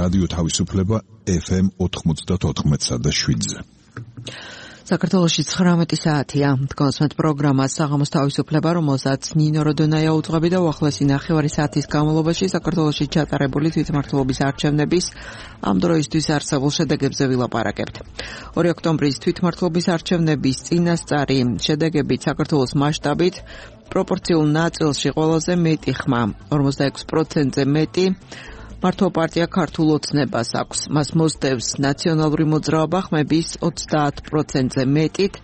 რადიო თავისუფლება FM 94.7-ზე. საქართველოში 19 საათია. თქვენს პროგრამას საღამოს თავისუფლება, რომელსაც ნინო როდონაია უძღვები და უახლესი ნახევარი საათის განმავლობაში საქართველოში ჩატარებული თვითმმართველობის არჩევნების ამ დროისთვის არსებულ შედეგებზე ვილაპარაკებთ. 2 ოქტომბრის თვითმმართველობის არჩევნების წინასწარი შედეგებით საქართველოს მასშტაბით პროპორციულ ნაწილში ყველაზე მეტი ხმა, 46%-ზე მეტი მართვა პარტია ქართულ ოცნებას აქვს. მას მოსდევს ნაციონალური მოძრაობა ხმების 30%-ზე მეტით,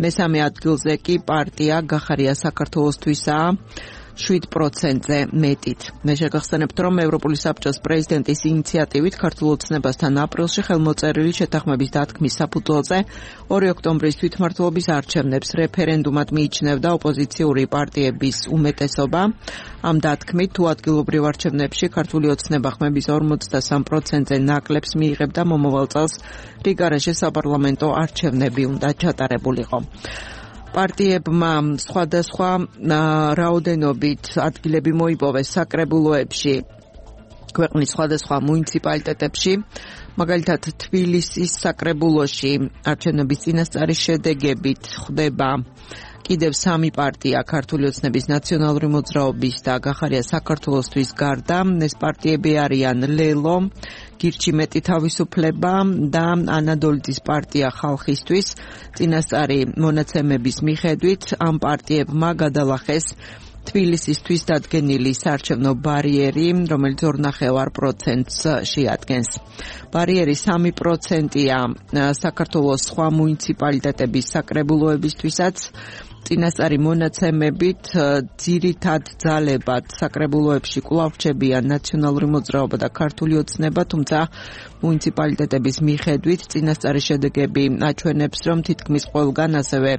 მესამე ადგილზე კი პარტია გახარია საქართველოსთვისაა 7%-ზე მეტით. მე შეგახსენებთ, რომ ევროპული საბჭოს პრეზიდენტის ინიციატივით ქართულ ოცნებასთან აპრილში ხელმოწერილი შეთანხმების დათქმის საფუძველზე 2 ოქტომბრის თვითმმართველობის არჩევნებს რეფერენდუმად მიიჩნევდა ოპოზიციური პარტიების უმეტესობა. ამ დათქმით თუ ადგილობრივ არჩევნებში ქართული ოცნება ხმების 53%-ზე ნაკლებს მიიღებდა მომავალ წელს რიგარეშე საპარლამენტო არჩევნები უნდა ჩატარებულიყო. პარტიებმა სხვადასხვა რაოდენობით ადგილები მოიპოვეს საკრებულოებში ქვეყნის სხვადასხვა მუნიციპალიტეტებში. მაგალითად, თბილისის საკრებულოში არჩევნების წინასწარი შედეგებით ხვდება კიდევ 3 პარტია ქართული ოცნების ნაციონალური მოძრაობის და გახარია საქართველოსთვის გარდა. ეს პარტიები არიან ლელო, გირჩი მეტი თავისუფლება და ანადოლიძის პარტია ხალხისთვის. წინასწარი მონაცემების მიხედვით ამ პარტიებმა გადალახეს თბილისისთვის დადგენილი საარჩევნო ბარიერი, რომელიც 2.5%-ს შეადგენს. ბარიერი 3%-ია საქართველოს სხვა მუნიციპალიტეტების საკრებულოებისთვისაც. წინასწარი მონაცემებით ძირითად ძალებად საკრებულოებში კვლავ რჩებიან ნაციონალური მოძრაობა და ქართული ოცნება, თუმცა მუნიციპალიტეტების მიხედვით წინასწარი შედეგები აჩვენებს, რომ თითქმის ყველგან ასევე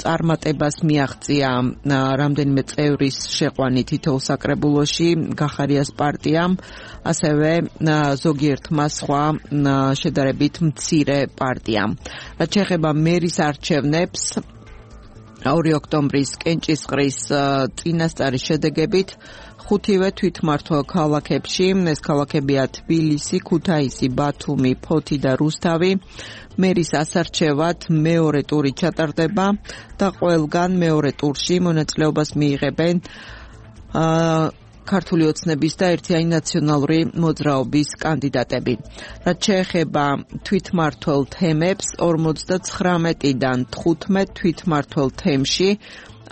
წარმატებას მიაღწია რამდენიმე წევრის შეყვანი თითოეულ საკრებულოში გახარიას პარტიამ, ასევე ზოგიერთმა სხვა შედარებით მცირე პარტიამ. რაც შეეხება მერის არჩევნებს, 2 ოქტომბრის კენჭისყრის წინასწარი შედეგებით 5-ვე თვითმმართველ ქალაქებში, ეს ქალაქებია თბილისი, ქუთაისი, ბათუმი, ფოთი და რუსთავი, მერის ასარჩევად მეორე ტური ჩატარდება და ყველგან მეორე ტურში მონაწილეობას მიიღებენ ქართული ოცნების და ერთიანი ნაციონალური მოძრაობის კანდიდატები. რაც შეეხება თვითმმართველ თემებს, 59-დან 15 თვითმმართველ თემში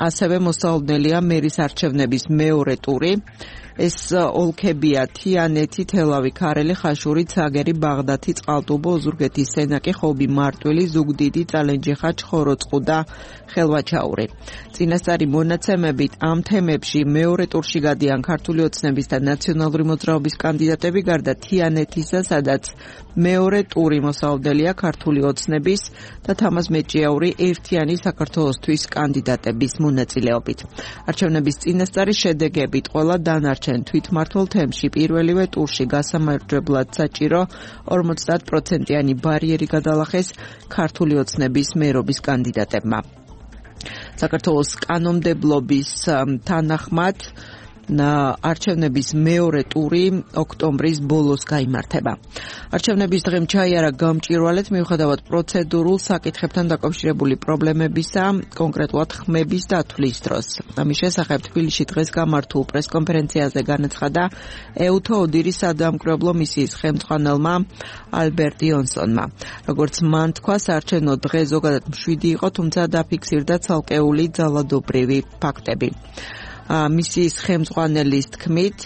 ასევე მოსალოდნელია მერის არჩევნების მეორე ტური. ეს ოლქებია თიანეთი, თელავი, ქარელი, ხაშური, ცაგერი, ბაღდათი, წყალტუბო, ოზურგეთი, სენაკი, ხობი, მარტვილი, ზუგდიდი, წალენჯიხა, ჩხოროწყუ და ხელვაჩაური. წინასწარი მონაცემებით ამ თემებში მეორე ტურში გადიან ქართული ოცნების და ნაციონალური მოძრაობის კანდიდატები, გარდა თიანეთისა, სადაც მეორე ტური მოსალოდნელია ქართული ოცნების და თამაზ მეჭიაური ერთიანი საქართველოსთვის კანდიდატების მონაწილეობით. არჩევნების წინასწარი შედეგებით ყველა დანარჩენ თვითმმართველ თემში პირველივე ტურში გასამარჯვებლად საჭირო 50%-იანი ბარიერი გადალახეს ქართული ოცნების მერობის კანდიდატებმა. საქართველოს კანონმდებლობის თანახმად არჩევნების მეორე ტური ოქტომბრის ბოლოს გაიმართება. არჩევნების დღემ ჩაიარა გამჭვირვალედ მიუხედავად პროცედურულ საკითხებთან დაკავშირებული პრობლემებისა, კონკრეტულად ხმების დათვლის დროს. ამის შესახებ თბილისში დღეს გამართულ პრესკონფერენციაზე განაცხადა ეუთო ოდირის სადამკვირვებლო მისიის ხელმძღვანელმა ალბერტ იონსონმა. როგორც მან თქვა, საარჩევნო დღე ზოგადად მშვიდი იყო, თუმცა დაფიქსირდა ცალკეული ძალადობრივი ფაქტები. მისიის ხელმძღვანელის თქმით,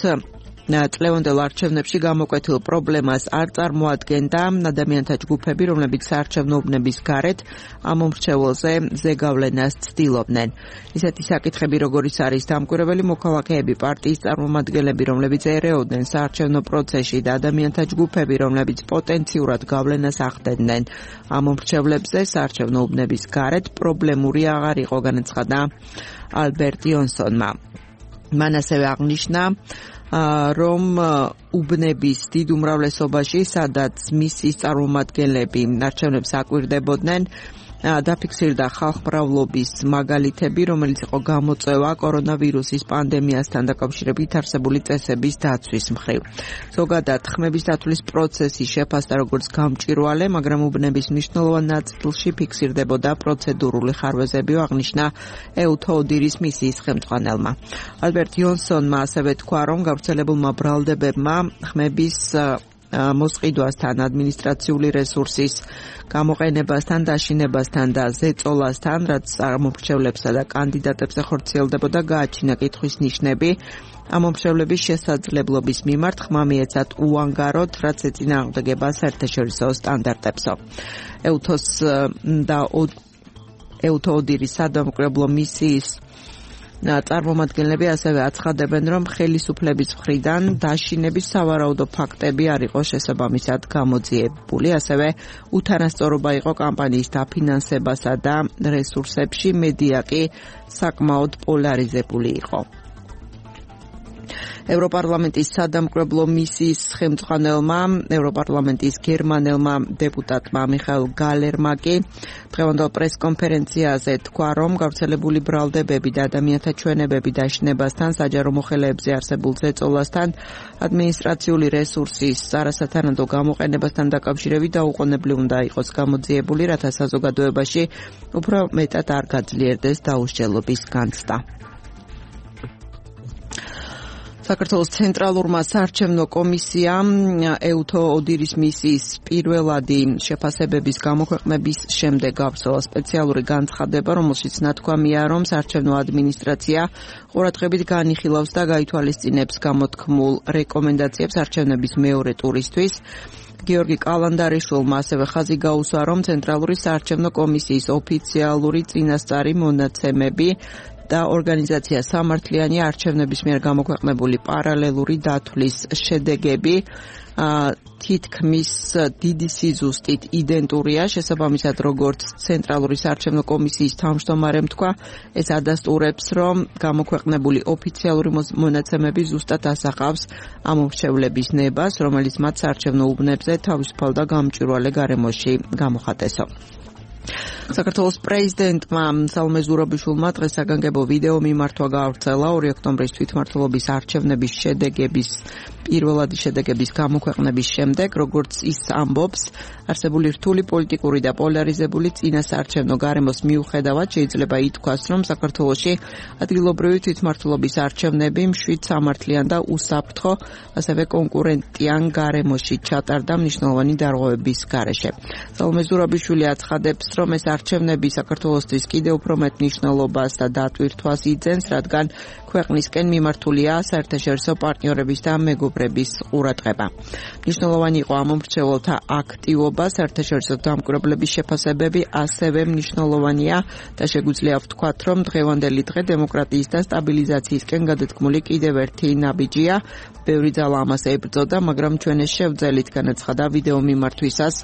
წლევანდელ არჩევნებში გამოკვეთილ პრობლემას არ წარმოადგენდა ადამიანთა ჯგუფები, რომლებიც საარჩევნო უბნების გარეთ ამ მომრჩეველზე ზეგავლენას ცდილობდნენ. ისეთი საკითხები, როგორიც არის დამკვირვებელი მოქალაქეები, პარტიის წარმომადგენლები, რომლებიც ერეოდნენ საარჩევნო პროცესში და ადამიანთა ჯგუფები, რომლებიც პოტენციურად გავლენას ახდენდნენ ამ მომრჩევლებზე საარჩევნო უბნების გარეთ, პრობლემური აღარ იყო, განაცხადა ალბერტ იონსონმა. მან ასევე აღნიშნა, რომ უბნების დიდ უმრავლესობაში, სადაც მისიის წარმომადგენლები არჩევნებს აკვირდებოდნენ, დაფიქსირდა ხალხმრავლობის მაგალითები, რომელიც იყო გამოწვევა კორონავირუსის პანდემიასთან დაკავშირებით არსებული წესების დაცვის მხრივ. ზოგადად, ხმების დათვლის პროცესი შეფასდა როგორც გამჭვირვალე, მაგრამ უბნების მნიშვნელოვან ნაწილში ფიქსირდებოდა პროცედურული ხარვეზები, აღნიშნა ეუთო ოდირის მისიის ხელმძღვანელმა. ალბერტ იონსონმა ასევე თქვა, რომ გავრცელებულმა ბრალდებებმა ხმების მოსყიდვასთან, ადმინისტრაციული რესურსის გამოყენებასთან, დაშინებასთან და ზეწოლასთან, რაც ამომრჩევლებსა და კანდიდატებს ეხორციელდებოდა, გააჩინა კითხვის ნიშნები. ამომრჩევლების შესაძლებლობის მიმართ ხმა მიეცათ უანგაროდ, რაც ეწინააღმდეგება საერთაშორისო სტანდარტებსო. ეუთო ოდირის სადამკვირვებლო მისიის წარმომადგენლები ასევე აცხადებენ, რომ ხელისუფლების მხრიდან დაშინების სავარაუდო ფაქტები არ იყო შესაბამისად გამოძიებული, ასევე უთანასწორობა იყო კამპანიის დაფინანსებასა და რესურსებში, მედია კი საკმაოდ პოლარიზებული იყო. ევროპარლამენტის სადამკვირვებლო მისიის ხელმძღვანელმა, ევროპარლამენტის გერმანელმა დეპუტატმა მიხაილ გალერმა კი დღევანდელ პრესკონფერენციაზე თქვა, რომ გავრცელებული ბრალდებები და ადამიანთა ჩვენებები დაშინებასთან, საჯარო მოხელეებზე არსებულ ზეწოლასთან, ადმინისტრაციული რესურსის არასათანადო გამოყენებასთან დაკავშირებით დაუყოვნებლივ უნდა იყოს გამოძიებული, რათა საზოგადოებაში უფრო მეტად არ გაძლიერდეს დაუსჯელობის განცდა. საქართველოს ცენტრალურმა საარჩევნო კომისიამ ეუთო ოდირის მისიის პირველადი შეფასებების გამოქვეყნების შემდეგ გავრცელა სპეციალური განცხადება, რომელშიც ნათქვამია, რომ საარჩევნო ადმინისტრაცია ყურადღებით განიხილავს და გაითვალისწინებს გამოთქმულ რეკომენდაციებს არჩევნების მეორე ტურისთვის. გიორგი კალანდარიშვილმა ასევე ხაზი გაუსვა, რომ ცენტრალური საარჩევნო კომისიის ოფიციალური წინასწარი მონაცემები და ორგანიზაცია სამართლიანი არჩევნების მიერ გამოქვეყნებული პარალელური დათვლის შედეგები თითქმის დიდი სიზუსტით იდენტურია, შესაბამისად როგორც ცენტრალური საარჩევნო კომისიის თავმჯდომარემ თქვა, ეს ადასტურებს, რომ გამოქვეყნებული ოფიციალური მონაცემები ზუსტად ასახავს ამომრჩევლების ნებას, რომელიც მათ საარჩევნო უბნებზე თავისუფალ და გამჭვირვალე გარემოში გამოხატესო. საქართველოს პრეზიდენტმა სალომე ზურაბიშვილმა დღეს საგანგებო ვიდეო მიმართვა გაავრცელა 2 ოქტომბრის თვითმმართველობის არჩევნების პირველადი შედეგების გამოქვეყნების შემდეგ, როგორც ის ამბობს, არსებული რთული პოლიტიკური და პოლარიზებული წინასაარჩევნო გარემოს მიუხედავად შეიძლება ითქვას, რომ საქართველოში ადგილობრივი თვითმმართველობის არჩევნები მშვიდ, სამართლიან და უსაფრთხო, ასევე კონკურენტიან გარემოში ჩატარდა მნიშვნელოვანი დარღვევების გარეშე. სალომე ზურაბიშვილი აცხადებს, რომ ეს არჩევნები საქართველოსთვის კიდევ უფრო მეტ მნიშვნელობას და დატვირთვას იძენს, რადგან ქვეყნისკენ მიმართულია საერთაშორისო პარტნიორების და მეგობრების ყურადღება. მნიშვნელოვანი იყო ამომრჩეველთა აქტივობა, საერთაშორისო დამკვირვებლების შეფასებები ასევე მნიშვნელოვანია და შეგვიძლია ვთქვათ, რომ დღევანდელი დღე დემოკრატიის და სტაბილიზაციისკენ გადადგმული კიდევ ერთი ნაბიჯია. ბევრი ძალა ამას ებრძოდა, მაგრამ ჩვენ ეს შევძელით, განაცხადა ვიდეო მიმართვისას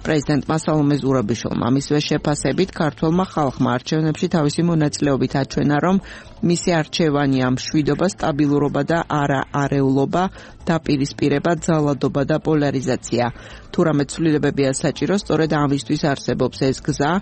პრეზიდენტმა სალომე ზურაბიშვილმა. მისივე შეფასებით, ქართველმა ხალხმა არჩევნებში თავისი მონაწილეობით აჩვენა, რომ მისი არჩევანია მშვიდობა, სტაბილურობა და არა არეულობა, დაპირისპირება, ძალადობა და პოლარიზაცია. თუ რამე ცვლილებებია საჭირო, სწორედ ამისთვის არსებობს ეს გზა,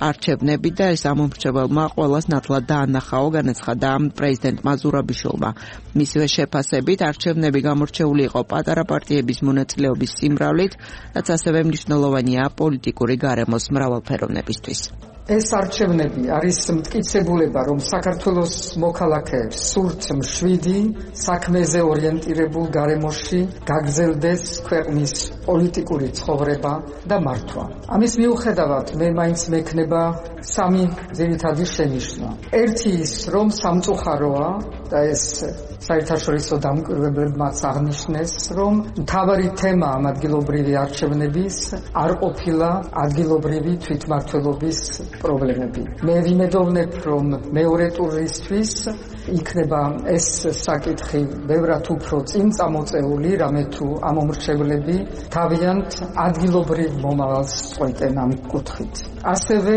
არჩევნები და ეს ამომრჩეველმა ყველას ნათლად დაანახაო, განაცხადა პრეზიდენტმა ზურაბიშვილმა. მისივე შეფასებით, არჩევნები გამორჩეული იყო პატარა პარტიების მონაწილეობის სიმრავლით, რაც ასევე მნიშვნელოვანია პოლიტიკური გარემოს მრავალფეროვნებისთვის. ეს არჩევნები არის მტკიცებულება, რომ საქართველოს მოქალაქეებს სურთ მშვიდი, საქმეზე ორიენტირებულ გარემოში გაგრძელდეს ქვეყნის პოლიტიკური ცხოვრება და მართვა. ამის მიუხედავად, მე მაინც მექნება სამი ძირითადი შენიშვნა. ერთი ის, რომ სამწუხაროა და ეს საერთაშორისო დამკვირვებლებმაც აღნიშნეს, რომ მთავარი თემა ამ ადგილობრივი არჩევნების არ ყოფილა ადგილობრივი თვითმმართველობის პრობლემები. მე ვიმედოვნებ, რომ მეორე ტურისთვის იქნება ეს საკითხი ბევრად უფრო წინ წამოწეული, რამე თუ ამ მომრჩევლები თავიანთ ადგილობრივ მომავალს წყვეტენ ამ კუთხით. ასევე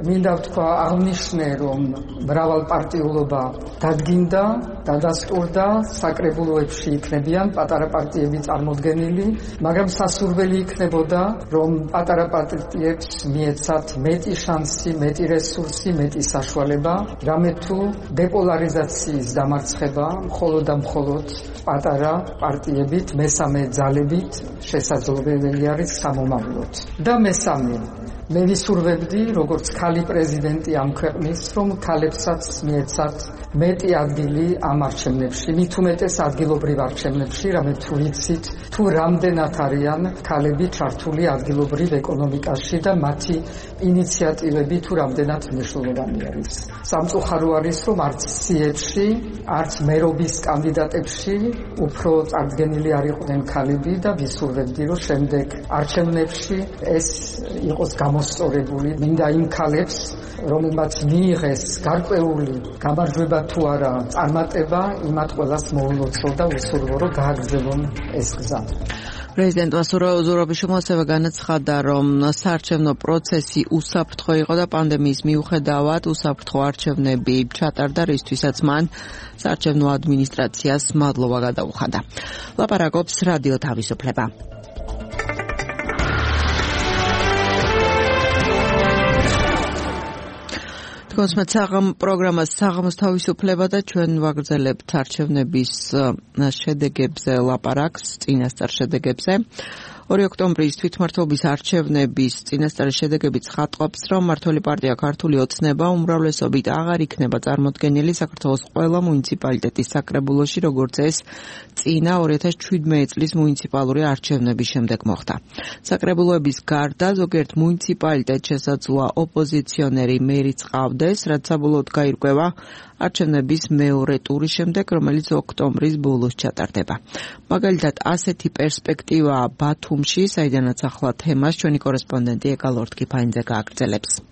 მინდა ვთქვა, აღნიშნე, რომ მრავალპარტიულობა დადგინდა, დადასტურდა, საკრებულოებში იქნებიან პატარა პარტიები წარმოდგენილი, მაგრამ სასურველი იქნებოდა, რომ პატარა პარტიებს მიეცათ მეტი შანსი, მეტი რესურსი, მეტი საშუალება, რამე თუ დეპოლარიზაციის დამარცხება მხოლოდ და მხოლოდ პატარა პარტიებით, მესამე ძალებით შესაძლებელი არის სამომავლოდ. და მესამე, მე ვისურვებდი, როგორც ქალი პრეზიდენტი ამ ქვეყნის, რომ ქალებსაც მიეცათ მეტი ადგილი ამ არჩევნებში, მით უმეტეს ადგილობრივ არჩევნებში, რამე თუ ვიცით, თუ რამდენად არიან ქალები ჩართული ადგილობრივ ეკონომიკაში და მათი ინიციატივები თუ რამდენად მნიშვნელოვანი არის. სამწუხარო არის, რომ არც სიებში, არც მერობის კანდიდატებში უფრო წარდგენილი არ იყვნენ ქალები და ვისურვებდი, რომ შემდეგ არჩევნებში ეს იყოს გამოსწორებული. მინდა იმ ქალებს, რომელმაც მიიღეს გარკვეული გამარჯვება თუ არა წარმატება, იმათ ყველას მოულოცო და ვისურვო, რომ გააგრძელონ ეს გზა. პრეზიდენტმა ზურაბიშვილმა ასევე განაცხადა, რომ საარჩევნო პროცესი უსაფრთხო იყო და პანდემიის მიუხედავად უსაფრთხო არჩევნები ჩატარდა, რისთვისაც მან საარჩევნო ადმინისტრაციას მადლობა გადაუხადა. ლაპარაკობს რადიო თავისუფლება. პროგრამას საღამოს თავისუფლება და ჩვენ ვაგრძელებთ არჩევნების შედეგებზე ლაპარაკს, წინასწარ შედეგებზე. 2 ოქტომბრის თვითმმართველობის არჩევნების წინასწარი შედეგები ცხადყოფს, რომ მმართველი პარტია ქართული ოცნება უმრავლესობით აღარ იქნება წარმოდგენილი საქართველოს ყველა მუნიციპალიტეტის საკრებულოში, როგორც ეს წინა 2017 წლის მუნიციპალური არჩევნების შემდეგ მოხდა. საკრებულოების გარდა ზოგიერთ მუნიციპალიტეტს შესაძლოა ოპოზიციონერი მერიც ყავდეს, რაც საბოლოოდ გაირკვევა არჩევნების მეორე ტურის შემდეგ, რომელიც ოქტომბრის ბოლოს ჩატარდება. მაგალითად, ასეთი პერსპექტივაა ბათუმში, საიდანაც ახლა თემას ჩვენი კორესპონდენტი ეკა ლორთქიფანიძე გააგრძელებს.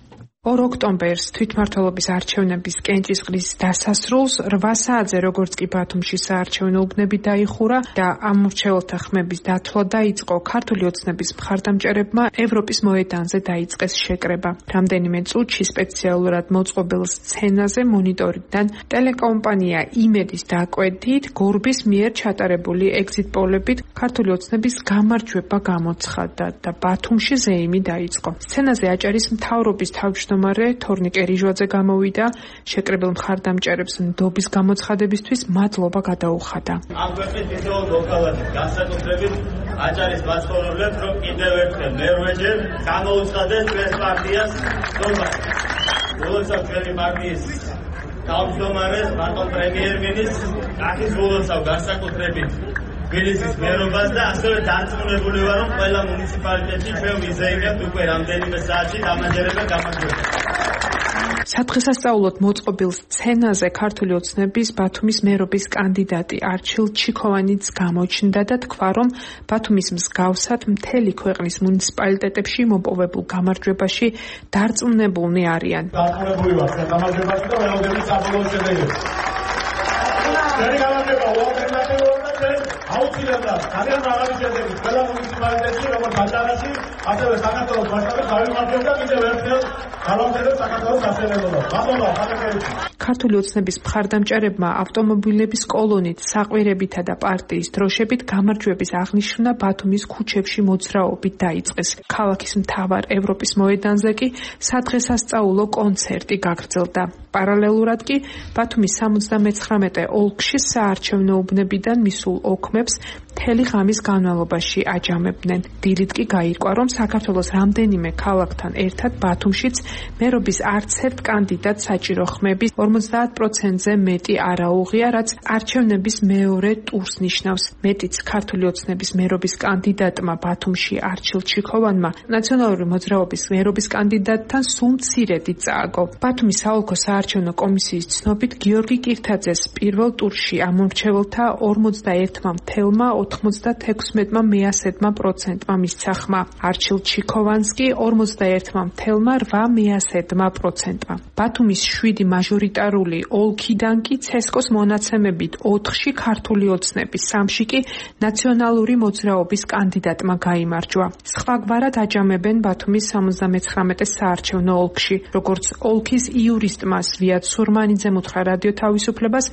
2 ოქტომბერს თვითმმართველობის არჩევნების კენჭისყრის დასასრულს 8 საათზე როგორც კი ბათუმში საარჩევნო უბნები დაიხურა და ამ მრჩეველთა ხმების დათვლა დაიწყო, ქართული ოცნების მხარდამჭერებმა ევროპის მოედანზე დაიწყეს შეკრება. რამდენიმე წუთში სპეციალურად მოწყობილ სცენაზე მონიტორიდან ტელეკომპანია იმედის დაკვეთით გორბის მიერ ჩატარებული ეგზიტ-პოლებით ქართული ოცნების გამარჯვება გამოცხადდა და ბათუმში ზეიმი დაიწყო. სცენაზე აჭარის მთავრობის თავმჯდომარე თორნიკე რიჟვაძე გამოვიდა, შეკრებილ მხარდამჭერებს ნდობის გამოცხადებისთვის მადლობა გადაუხადა. ამ ქვეყნის თითოეულ ლოკალად განსაკუთრებით აჭარის მაცხოვრებლებს, რომ კიდევ ერთხელ მერვეჯერ გამოუცხადეს ჩვენს პარტიას ნდობა. როდესაც ჩვენი პარტიის თავმჯდომარეს, ბატონ პრემიერ-მინისტრს ახისრულებსავ განსაკუთრებით თბილისის მერობას და ასევე დარწმუნებული ვარ, რომ ყველა მუნიციპალიტეტში ჩვენ ვიზეიმებთ უკვე რამდენიმე საათში დამაჯერებელ გამარჯვებას. სადღესასწაულოდ მოწყობილ სცენაზე ქართული ოცნების ბათუმის მერობის კანდიდატი არჩილ ჩიქოვანიც გამოჩნდა და თქვა, რომ ბათუმის მსგავსად მთელი ქვეყნის მუნიციპალიტეტებში მოპოვებულ გამარჯვებაში დარწმუნებულნი არიან. დარწმუნებული ვარ ჩვენ გამარჯვებაში და ველოდები საბოლოო შედეგებს. ჩვენი გამარჯვება აუცილებლად ძალიან მაღალი შედეგი ყველა მუნიციპალიტეტში, როგორც აჭარაში, ასევე საქართველოს მასშტაბით გავიმართებდა კიდევ ერთხელ გავამტკიცებთ საქართველოს სასწავლებლობას. მადლობა ხალხებისთვის. ქართული ოცნების მხარდამჭერებმა ავტომობილების კოლონით, საყვირებითა და პარტიის დროშებით გამარჯვების აღნიშვნა ბათუმის ქუჩებში მოძრაობით დაიწყეს. ქალაქის მთავარ ევროპის მოედანზე კი სადღესასწაულო კონცერტი გაგრძელდა. პარალელურად კი ბათუმის 79 ოლქში საარჩევნო უბნებიდან მისულ ოქმებს მთელი ღამის განმავლობაში აჯამებდნენ. დილით კი გაირკვა, რომ საქართველოს რამდენიმე ქალაქთან ერთად ბათუმშიც მერობის არც ერთ კანდიდატ საჭირო ხმების 50%-ზე მეტი არ აუღია, რაც არჩევნების მეორე ტურს ნიშნავს. მეტიც ქართული ოცნების მერობის კანდიდატმა ბათუმში არჩილ ჩიქოვანმა ნაციონალური მოძრაობის მერობის კანდიდატთან სულ მცირედი წააგო. ბათუმის საოლქო საარჩევნო კომისიის ცნობით გიორგი კირთაძეს პირველ ტურში ამ მომრჩეველთა 41.20 86%-მა მისცა ხმა. არჩილ ჩიქოვანსკი 41.8%-მა. ბათუმის 7 მაჟორიტარული ოლქიდან კი ცესკოს მონაცემებით 4-ში ქართული ოცნების, 3-ში კი ნაციონალური მოძრაობის კანდიდატმა გაიმარჯვა. სხვაგვარად აჯამებენ ბათუმის 79 საარჩევნო ოლქში. როგორც ოლქის იურისტმა ზვიად სურმანიძემ უთხრა რადიო თავისუფლებას,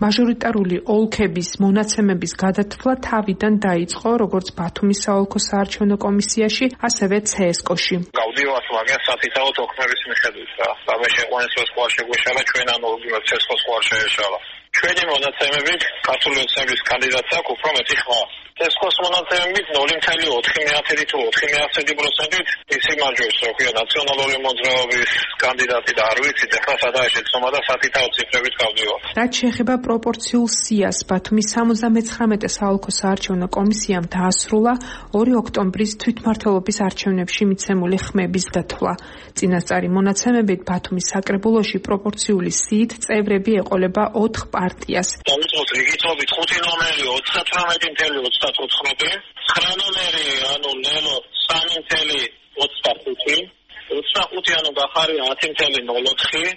მაჟორიტარული ოლქების მონაცემების გადათვლა თავიდან დაიწყო როგორც ბათუმის საოლქო საარჩევნო კომისიაში, ასევე ცესკოში. გავდივართ მაგას სათითაოდ ოქმების მიხედვით რა. და შეყვანეს რომ სხვა შეგვეშალა ჩვენ ანუ ცესკოს სხვა შეეშალა. ჩვენი მონაცემებით ქართული ოცნების კანდიდატს აქვს უფრო მეტი ხმა. ცესკოს მონაცემებით 0.4 თუ 4.1%-ით ისი მარჯვებს რო ქვია ნაციონალური მოძრაობის კანდიდატი და არ ვიცით ახლა სადაა შეცდომა და სათითაოდ ციფრებით გავდივართ. რაც შეეხება პროპორციულ სიას, ბათუმის 79 საოლქო საარჩევნო კომისიამ დაასრულა 2 ოქტომბრის თვითმმართველობის არჩევნებში მიცემული ხმების დათვლა. წინასწარი მონაცემებით ბათუმის საკრებულოში პროპორციული სიით წევრები ეყოლება 4 პარტიას. დავიწყოთ რიგითობით 5 ნომერი 38.34, 9 ნომერი ანუ ნელო 3.25, 25 ანუ გახარია 10.04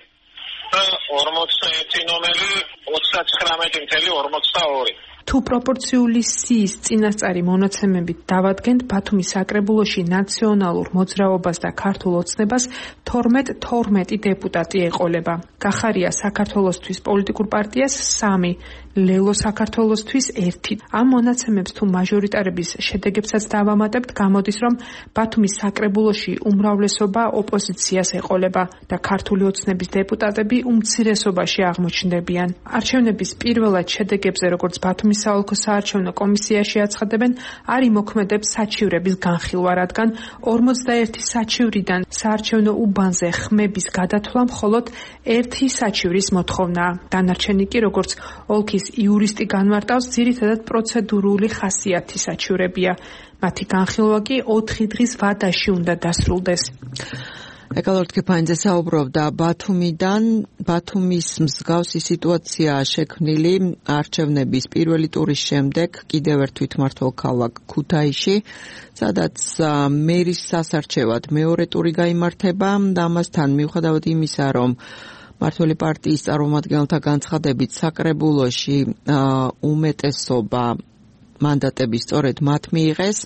და 41 ნომერი 39.42. თუ პროპორციული სიის წინასწარი მონაცემებით დავადგენთ, ბათუმის საკრებულოში ნაციონალურ მოძრაობას და ქართულ ოცნებას 12 დეპუტატი ეყოლება. გახარია საქართველოსთვის პოლიტიკურ პარტიას 3, ლელო საქართველოსთვის 1. ამ მონაცემებს თუ მაჟორიტარების შედეგებსაც დავამატებთ, გამოდის, რომ ბათუმის საკრებულოში უმრავლესობა ოპოზიციას ეყოლება და ქართული ოცნების დეპუტატები უმცირესობაში აღმოჩნდებიან. არჩევნების პირველად შედეგებზე, როგორც ბათუმის საოლქო საარჩევნო კომისიაში აცხადებენ, არ იმოქმედებს საჩივრების განხილვა, რადგან 41 საჩივრიდან საარჩევნო უბანზე ხმების გადათვლა მხოლოდ 1 საჩივრის მოთხოვნაა. დანარჩენი კი, როგორც ოლქის იურისტი განმარტავს, ძირითადად პროცედურული ხასიათის საჩივრებია. მათი განხილვა კი 4 დღის ვადაში უნდა დასრულდეს. ეკალორდ კეფანიძე საუბრობდა ბათუმიდან. ბათუმის მსგავსი სიტუაციაა შექმნილი არჩევნების პირველი ტურის შემდეგ კიდევ ერთ თვითმმართველ ქალაქ ქუთაისში, სადაც მერის სასარჩევად მეორე ტური გაიმართება და ამასთან მიუხედავად იმისა, რომ მმართველი პარტიის წარმომადგენელთა განცხადებით საკრებულოში უმეტესობა მანდატები სწორედ მათ მიიღეს,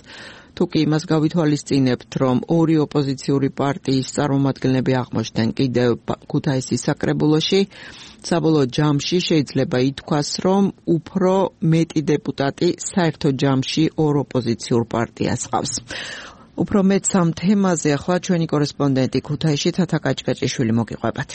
თუკი იმას გავითვალისწინებთ, რომ 2 ოპოზიციური პარტიის წარმომადგენლები აღმოჩნდნენ კიდევ ქუთაისის საკრებულოში, საბოლოო ჯამში შეიძლება ითქვას, რომ უფრო მეტი დეპუტატი საერთო ჯამში 2 ოპოზიციურ პარტიას ჰყავს. უფრო მეტ სამ თემაზე ახლა ჩვენი კორესპონდენტი ქუთაისში თათა კაჭკაჭიშვილი მოგიყვებათ.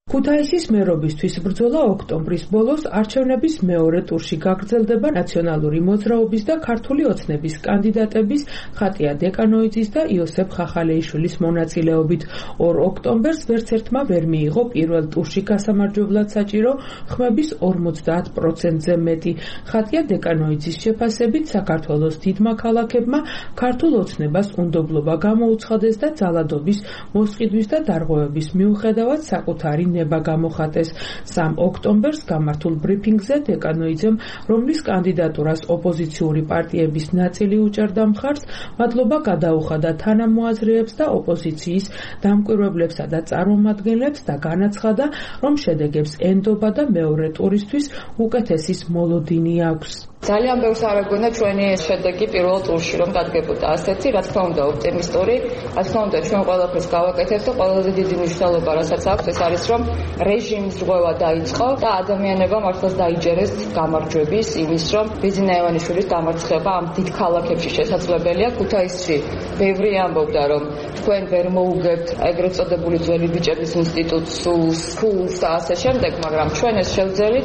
ქუთაისის მერობისთვის ბრძოლა ოქტომბრის ბოლოს არჩევნების მეორე ტურში გაგრძელდება ნაციონალური მოძრაობის და ქართული ოცნების კანდიდატების ხატია დეკანოიძის და იოსებ ხახალეიშვილის მონაწილეობით. 2 ოქტომბერს ვერც ერთმა ვერ მიიღო პირველ ტურში გასამარჯვებლად საჭირო ხმების 50%-ზე მეტი. ხატია დეკანოიძის შეფასებით საქართველოს დიდმა ქალაქებმა ქართულ ოცნებას უნდობლობა გამოუცხადეს და ძალადობის, მოსყიდვის და დარღვევების მიუხედავად საკუთარი ნება გამოხატეს. 3 ოქტომბერს გამართულ ბრიფინგზე დეკანოიძემ, რომლის კანდიდატურას ოპოზიციური პარტიების ნაწილი უჭერდა მხარს, მადლობა გადაუხადა თანამოაზრეებს და ოპოზიციის დამკვირვებლებსა და წარმომადგენლებს და განაცხადა, რომ შედეგებს ენდობა და მეორე ტურისთვის უკეთესის მოლოდინი აქვს. ძალიან ბევრს არ ეგონა ჩვენი შედეგი პირველ ტურში რომ დადგებოდა ასეთი, რა თქმა უნდა ოპტიმისტური, რა თქმა უნდა ჩვენ ყველაფერს გავაკეთებთ და ყველაზე დიდი მნიშვნელობა რასაც აქვს ეს არის რომ რეჟიმის ზღვევა დაიწყო და ადამიანებმა მართლაც დაიჯერეს გამარჯვების იმის რომ ბიძინა ივანიშვილის დამარცხება ამ დიდ ქალაქებში შესაძლებელია. ქუთაისში ბევრი ამბობდა რომ თქვენ ვერ მოუგებთ ეგრეთ წოდებული ძველი ბიჭების ინსტიტუტს, ფულს და ასე შემდეგ, მაგრამ ჩვენ ეს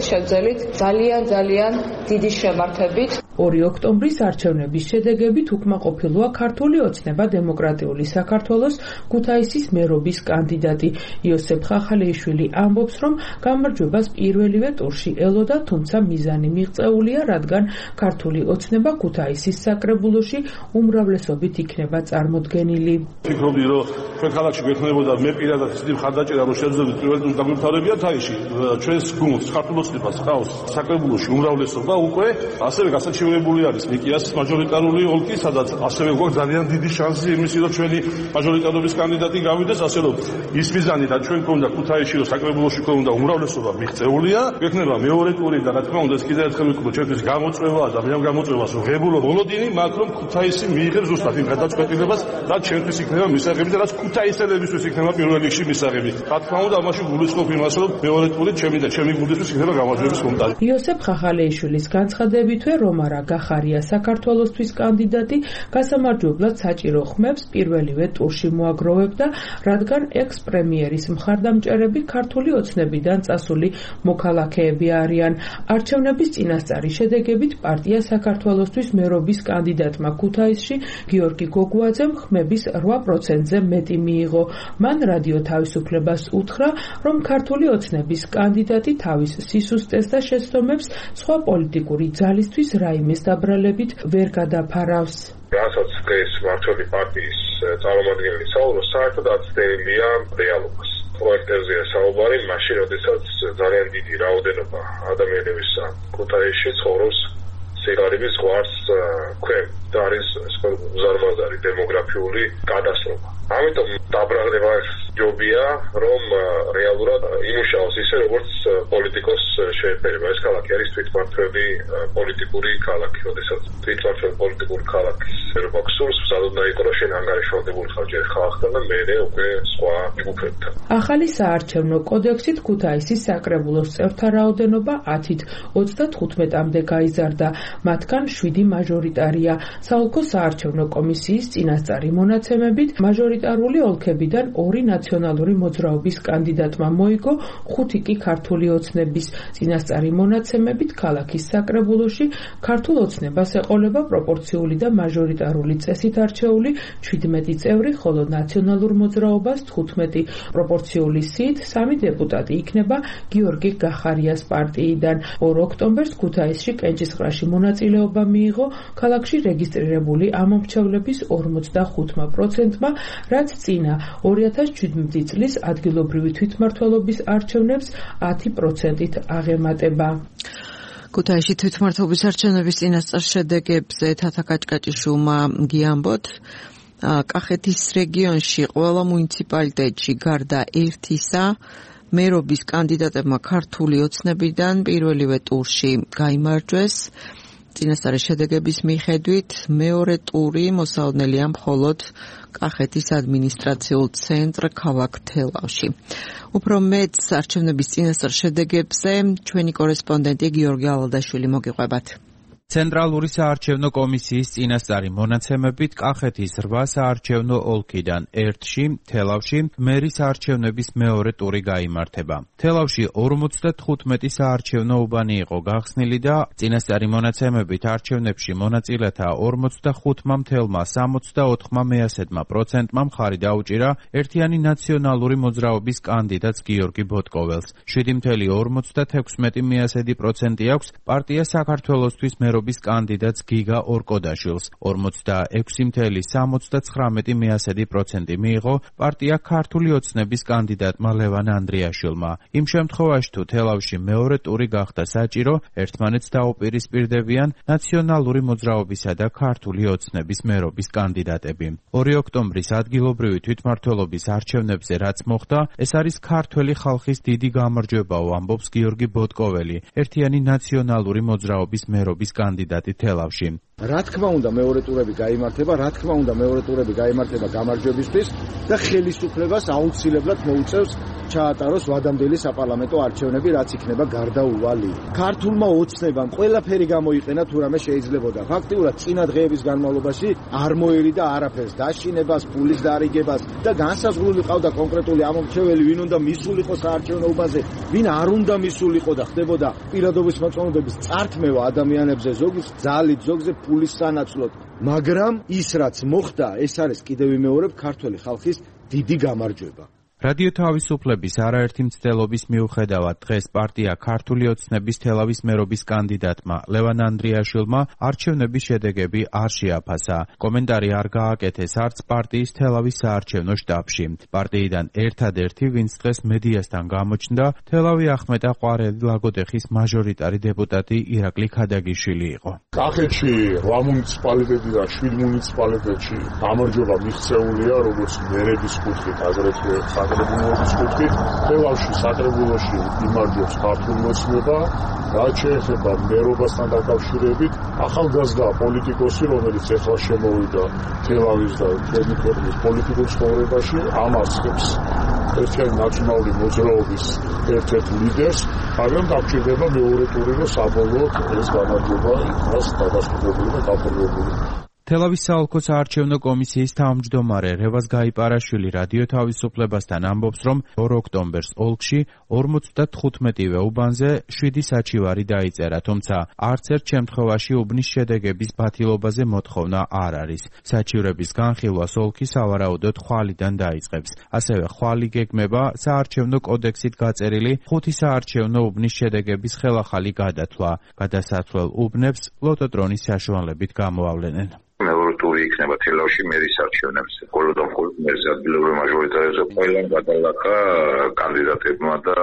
შევძელით ძალიან დიდი შემართებით. 2 ოქტომბრის არჩევნების შედეგებით უკმაყოფილოა ქართული ოცნება დემოკრატიული საქართველოს ქუთაისის მერობის კანდიდატი იოსებ ხახალეიშვილი ამბობს, რომ გამარჯვებას პირველივე ტურში ელოდა, თუმცა მიზანი მიღწეულია, რადგან ქართული ოცნება ქუთაისის საკრებულოში უმრავლესობით იქნება წარმოდგენილი. ვფიქრობდი, რომ ჩვენ ქალაქში გვექნებოდა მე პირადად ისეთი მხარდაჭერა, რომ შევძლებდით პირველ ტურს გამომთავრებია თაიში. ჩვენს გუნდს ქართულ ოცნებას ჰყავს საკრებულოში უმრავლესობა უკვე ასევე გასაჩივრებელია არჩევნებული არის ნიკიას მაჟორიტარული ოლქი, სადაც ასევე გვაქვს ძალიან დიდი შანსი იმისი, რომ ჩვენი მაჟორიტარობის კანდიდატი გავიდეს, ასე რომ ის მიზანი და ჩვენ გვქონდა ქუთაისში, რომ საკრებულოში გვქონდა უმრავლესობა მიღწეულია, გვექნება მეორე ტური და რა თქმა უნდა ეს კიდევ ერთხელ ვიტყვი, ჩვენთვის გამოწვევაა და მე ამ გამოწვევას ვღებულობ ბოლოდინი, მაგრამ რომ ქუთაისი მიიღებს ზუსტად იმ გადაწყვეტილებას, რაც ჩვენთვის იქნება მისაღები და რაც ქუთაისელებისთვის იქნება პირველ რიგში მისაღები. რა თქმა უნდა, ამაში გულისხმობ იმას, რომ მეორე ტური ჩემი გულისთვის იქნება გამარჯვების მომტანი. იოსებ ხახალეიშვილის განცხადებითვე რომარა გახარია საქართველოსთვის კანდიდატი გასამარჯვებლად საჭირო ხმებს პირველივე ტურში მოაგროვებდა, რადგან ექს-პრემიერის მხარდამჭერები ქართული ოცნებიდან წასული მოქალაქეები არიან. არჩევნების წინასწარი შედეგებით პარტია საქართველოსთვის მერობის კანდიდატმა ქუთაისში გიორგი გოგუაძემ ხმების 8%-ზე მეტი მიიღო. მან რადიო თავისუფლებას უთხრა, რომ ქართული ოცნების კანდიდატი თავის სისუსტეს და შეცდომებს სხვა პოლიტიკური ძალისთვის რაიმეს დაბრალებით ვერ გადაფარავს. რასაც ეს მართველი პარტიის წარმომადგენელი საუბრობს, საერთოდ აცდენილია რეალობას. პროექტებზეა საუბარი, მაშინ, როდესაც ძალიან დიდი რაოდენობა ადამიანების ქუთაისში ცხოვრობს სიგარების ზღვარს ქვემ და არის უზარმაზარი დემოგრაფიული გადასრომა. ამიტომ დაბრალება ჯობია, რომ რეალურად იმუშაოს ისე, როგორც პოლიტიკოს შეეფერება. ეს ქალაქი არის თვითმმართველი პოლიტიკური ქალაქი, როდესაც თვითმმართველი პოლიტიკური ქალაქის ერობა გსურს, სადაც იყო რომ შენ ანგარიშვალდებული ხარ ჯერ ხალხთან და მერე უკვე სხვა ჯგუფებთან. ახალი საარჩევნო კოდექსით ქუთაისის საკრებულოს წევრთა რაოდენობა 10-ით 35-მდე გაიზარდა, მათგან 7 მაჟორიტარია. საოლქო საარჩევნო კომისიის წინასწარი მონაცემებით მაჟორიტარული ოლქებიდან 2 ნაციონალური მოძრაობის კანდიდატმა მოიგო, 5 კი ქართული ოცნების. წინასწარი მონაცემებით ქალაქის საკრებულოში ქართულ ოცნებას ეყოლება პროპორციული და მაჟორიტარული წესით არჩეული 17 წევრი, ხოლო ნაციონალურ მოძრაობას 15. პროპორციული სიით 3 დეპუტატი იქნება გიორგი გახარიას პარტიიდან. 2 ოქტომბერს ქუთაისში კენჭისყრაში მონაწილეობა მიიღო ქალაქში რეგისტრირებული ამომრჩევლების 45%-მა, რაც წინა 2017 წლის ადგილობრივი თვითმმართველობის არჩევნებს 10%-ით აღემატება. ქუთაისში თვითმმართველობის არჩევნების წინასწარ შედეგებზე თათა კაჭკაჭიშვილმა გიამბოთ. კახეთის რეგიონში ყველა მუნიციპალიტეტში გარდა ერთისა მერობის კანდიდატებმა ქართული ოცნებიდან პირველივე ტურში გაიმარჯვეს. წინასწარი შედეგების მიხედვით მეორე ტური მოსალოდნელია მხოლოდ კახეთის ადმინისტრაციულ ცენტრ ქალაქ თელავში. უფრო მეტ არჩევნების წინასწარ შედეგებზე ჩვენი კორესპონდენტი გიორგი ალადაშვილი მოგიყვებათ. ცენტრალური საარჩევნო კომისიის წინასწარი მონაცემებით კახეთის 8 საარჩევნო ოლქიდან 1-ში, თელავში, მერის არჩევნების მეორე ტური გაიმართება. თელავში 55 საარჩევნო უბანი იყო გახსნილი და წინასწარი მონაცემებით არჩევნებში მონაწილეთა 45,64%-მა მხარი დაუჭირა ერთიანი ნაციონალური მოძრაობის კანდიდატს გიორგი ბოტკოველს. 7,56% აქვს პარტია საქართველოსთვის მერობის კანდიდატს გიგა ორკოდაშვილს. 46,79% მიიღო პარტია ქართული ოცნების კანდიდატმა ლევან ანდრიაშვილმა. იმ შემთხვევაში თუ თელავში მეორე ტური გახდა საჭირო, ერთმანეთს დაუპირისპირდებიან ნაციონალური მოძრაობისა და ქართული ოცნების მერობის კანდიდატები. 2 ოქტომბრის ადგილობრივი თვითმმართველობის არჩევნებზე რაც მოხდა, ეს არის ქართველი ხალხის დიდი გამარჯვებაო, ამბობს გიორგი ბოტკოველი, ერთიანი ნაციონალური მოძრაობის მერობის კანდიდატი თელავში. რა თქმა უნდა მეორე ტურები გაიმართება გამარჯვებისთვის და ხელისუფლებას აუცილებლად მოუწევს ჩაატაროს ვადამდელი საპარლამენტო არჩევნები, რაც იქნება გარდაუვალი. ქართულმა ოცნებამ ყველაფერი გამოიყენა თუ რამე შეიძლებოდა. ფაქტიურად წინა დღეების განმავლობაში არ მოერიდა არაფერს, დაშინებას, ფულის დარიგებას და განსაზღვრული ყავდა კონკრეტული ამომრჩეველი, ვინ უნდა მისულიყო საარჩევნო უბანზე, ვინ არ უნდა მისულიყო და ხდებოდა პირადობის მოწმობების წართმევა ადამიანებზე, ზოგის ძალით, ზოგზე ფულის სანაცვლოდ. მაგრამ ის რაც მოხდა, ეს არის კიდევ ვიმეორებ ქართველი ხალხის დიდი გამარჯვება. რადიო თავისუფლების არაერთი მცდელობის მიუხედავად დღეს პარტია ქართული ოცნების თელავის მერობის კანდიდატმა ლევან ანდრიაშვილმა არჩევნების შედეგები არ შეაფასა. კომენტარი არ გააკეთეს არც პარტიის თელავის საარჩევნო შტაბში. პარტიიდან ერთადერთი, ვინც დღეს მედიასთან გამოჩნდა, თელავი ახმეტა ყვარელი ლაგოდეხის მაჟორიტარი დეპუტატი ირაკლი ქადაგიშვილი იყო. კახეთში 8 მუნიციპალიტეტიდან 7 მუნიციპალიტეტში გამარჯვება მიღწეულია, როგორც მერების კუთხით, აგრეთვე საკრებულოს კუთხით. თელავში საკრებულოში იმარჯვებს ქართული ოცნება. რაც შეეხება მერობასთან დაკავშირებით, ახალგაზრდა პოლიტიკოსი, რომელიც ეხლა შემოვიდა თელავის და ჩვენი ქვეყნის პოლიტიკურ ცხოვრებაში, ამარცხებს ერთიანი ნაციონალური მოძრაობის ერთ-ერთ ლიდერს, მაგრამ დაგჭირდება მეორე ტური, რომ საბოლოოდ ეს გამარჯვება იქნას დადასტურებული და გაფორმებული. თელავის საოლქო საარჩევნო კომისიის თავმჯდომარე რევაზ გაიპარაშვილი რადიო თავისუფლებასთან ამბობს, რომ 2 ოქტომბერს ოლქში 55-ვე უბანზე 7 საჩივარი დაიწერა, თუმცა არც ერთ შემთხვევაში უბნის შედეგების ბათილობაზე მოთხოვნა არ არის. საჩივრების განხილვას ოლქი სავარაუდოდ ხვალიდან დაიწყებს. ასევე ხვალი გეგმება საარჩევნო კოდექსით გაწერილი 5 საარჩევნო უბნის შედეგების ხელახალი გადათვლა. გადასათვლელ უბნებს ლოტოტრონის საშუალებით გამოავლენენ. მეორე ტური იქნება თელავში მერის არჩევნებზე. მხოლოდ მერზე ადგილობრივ მაჟორიტარებზე ყველა გადალახა კანდიდატებმა და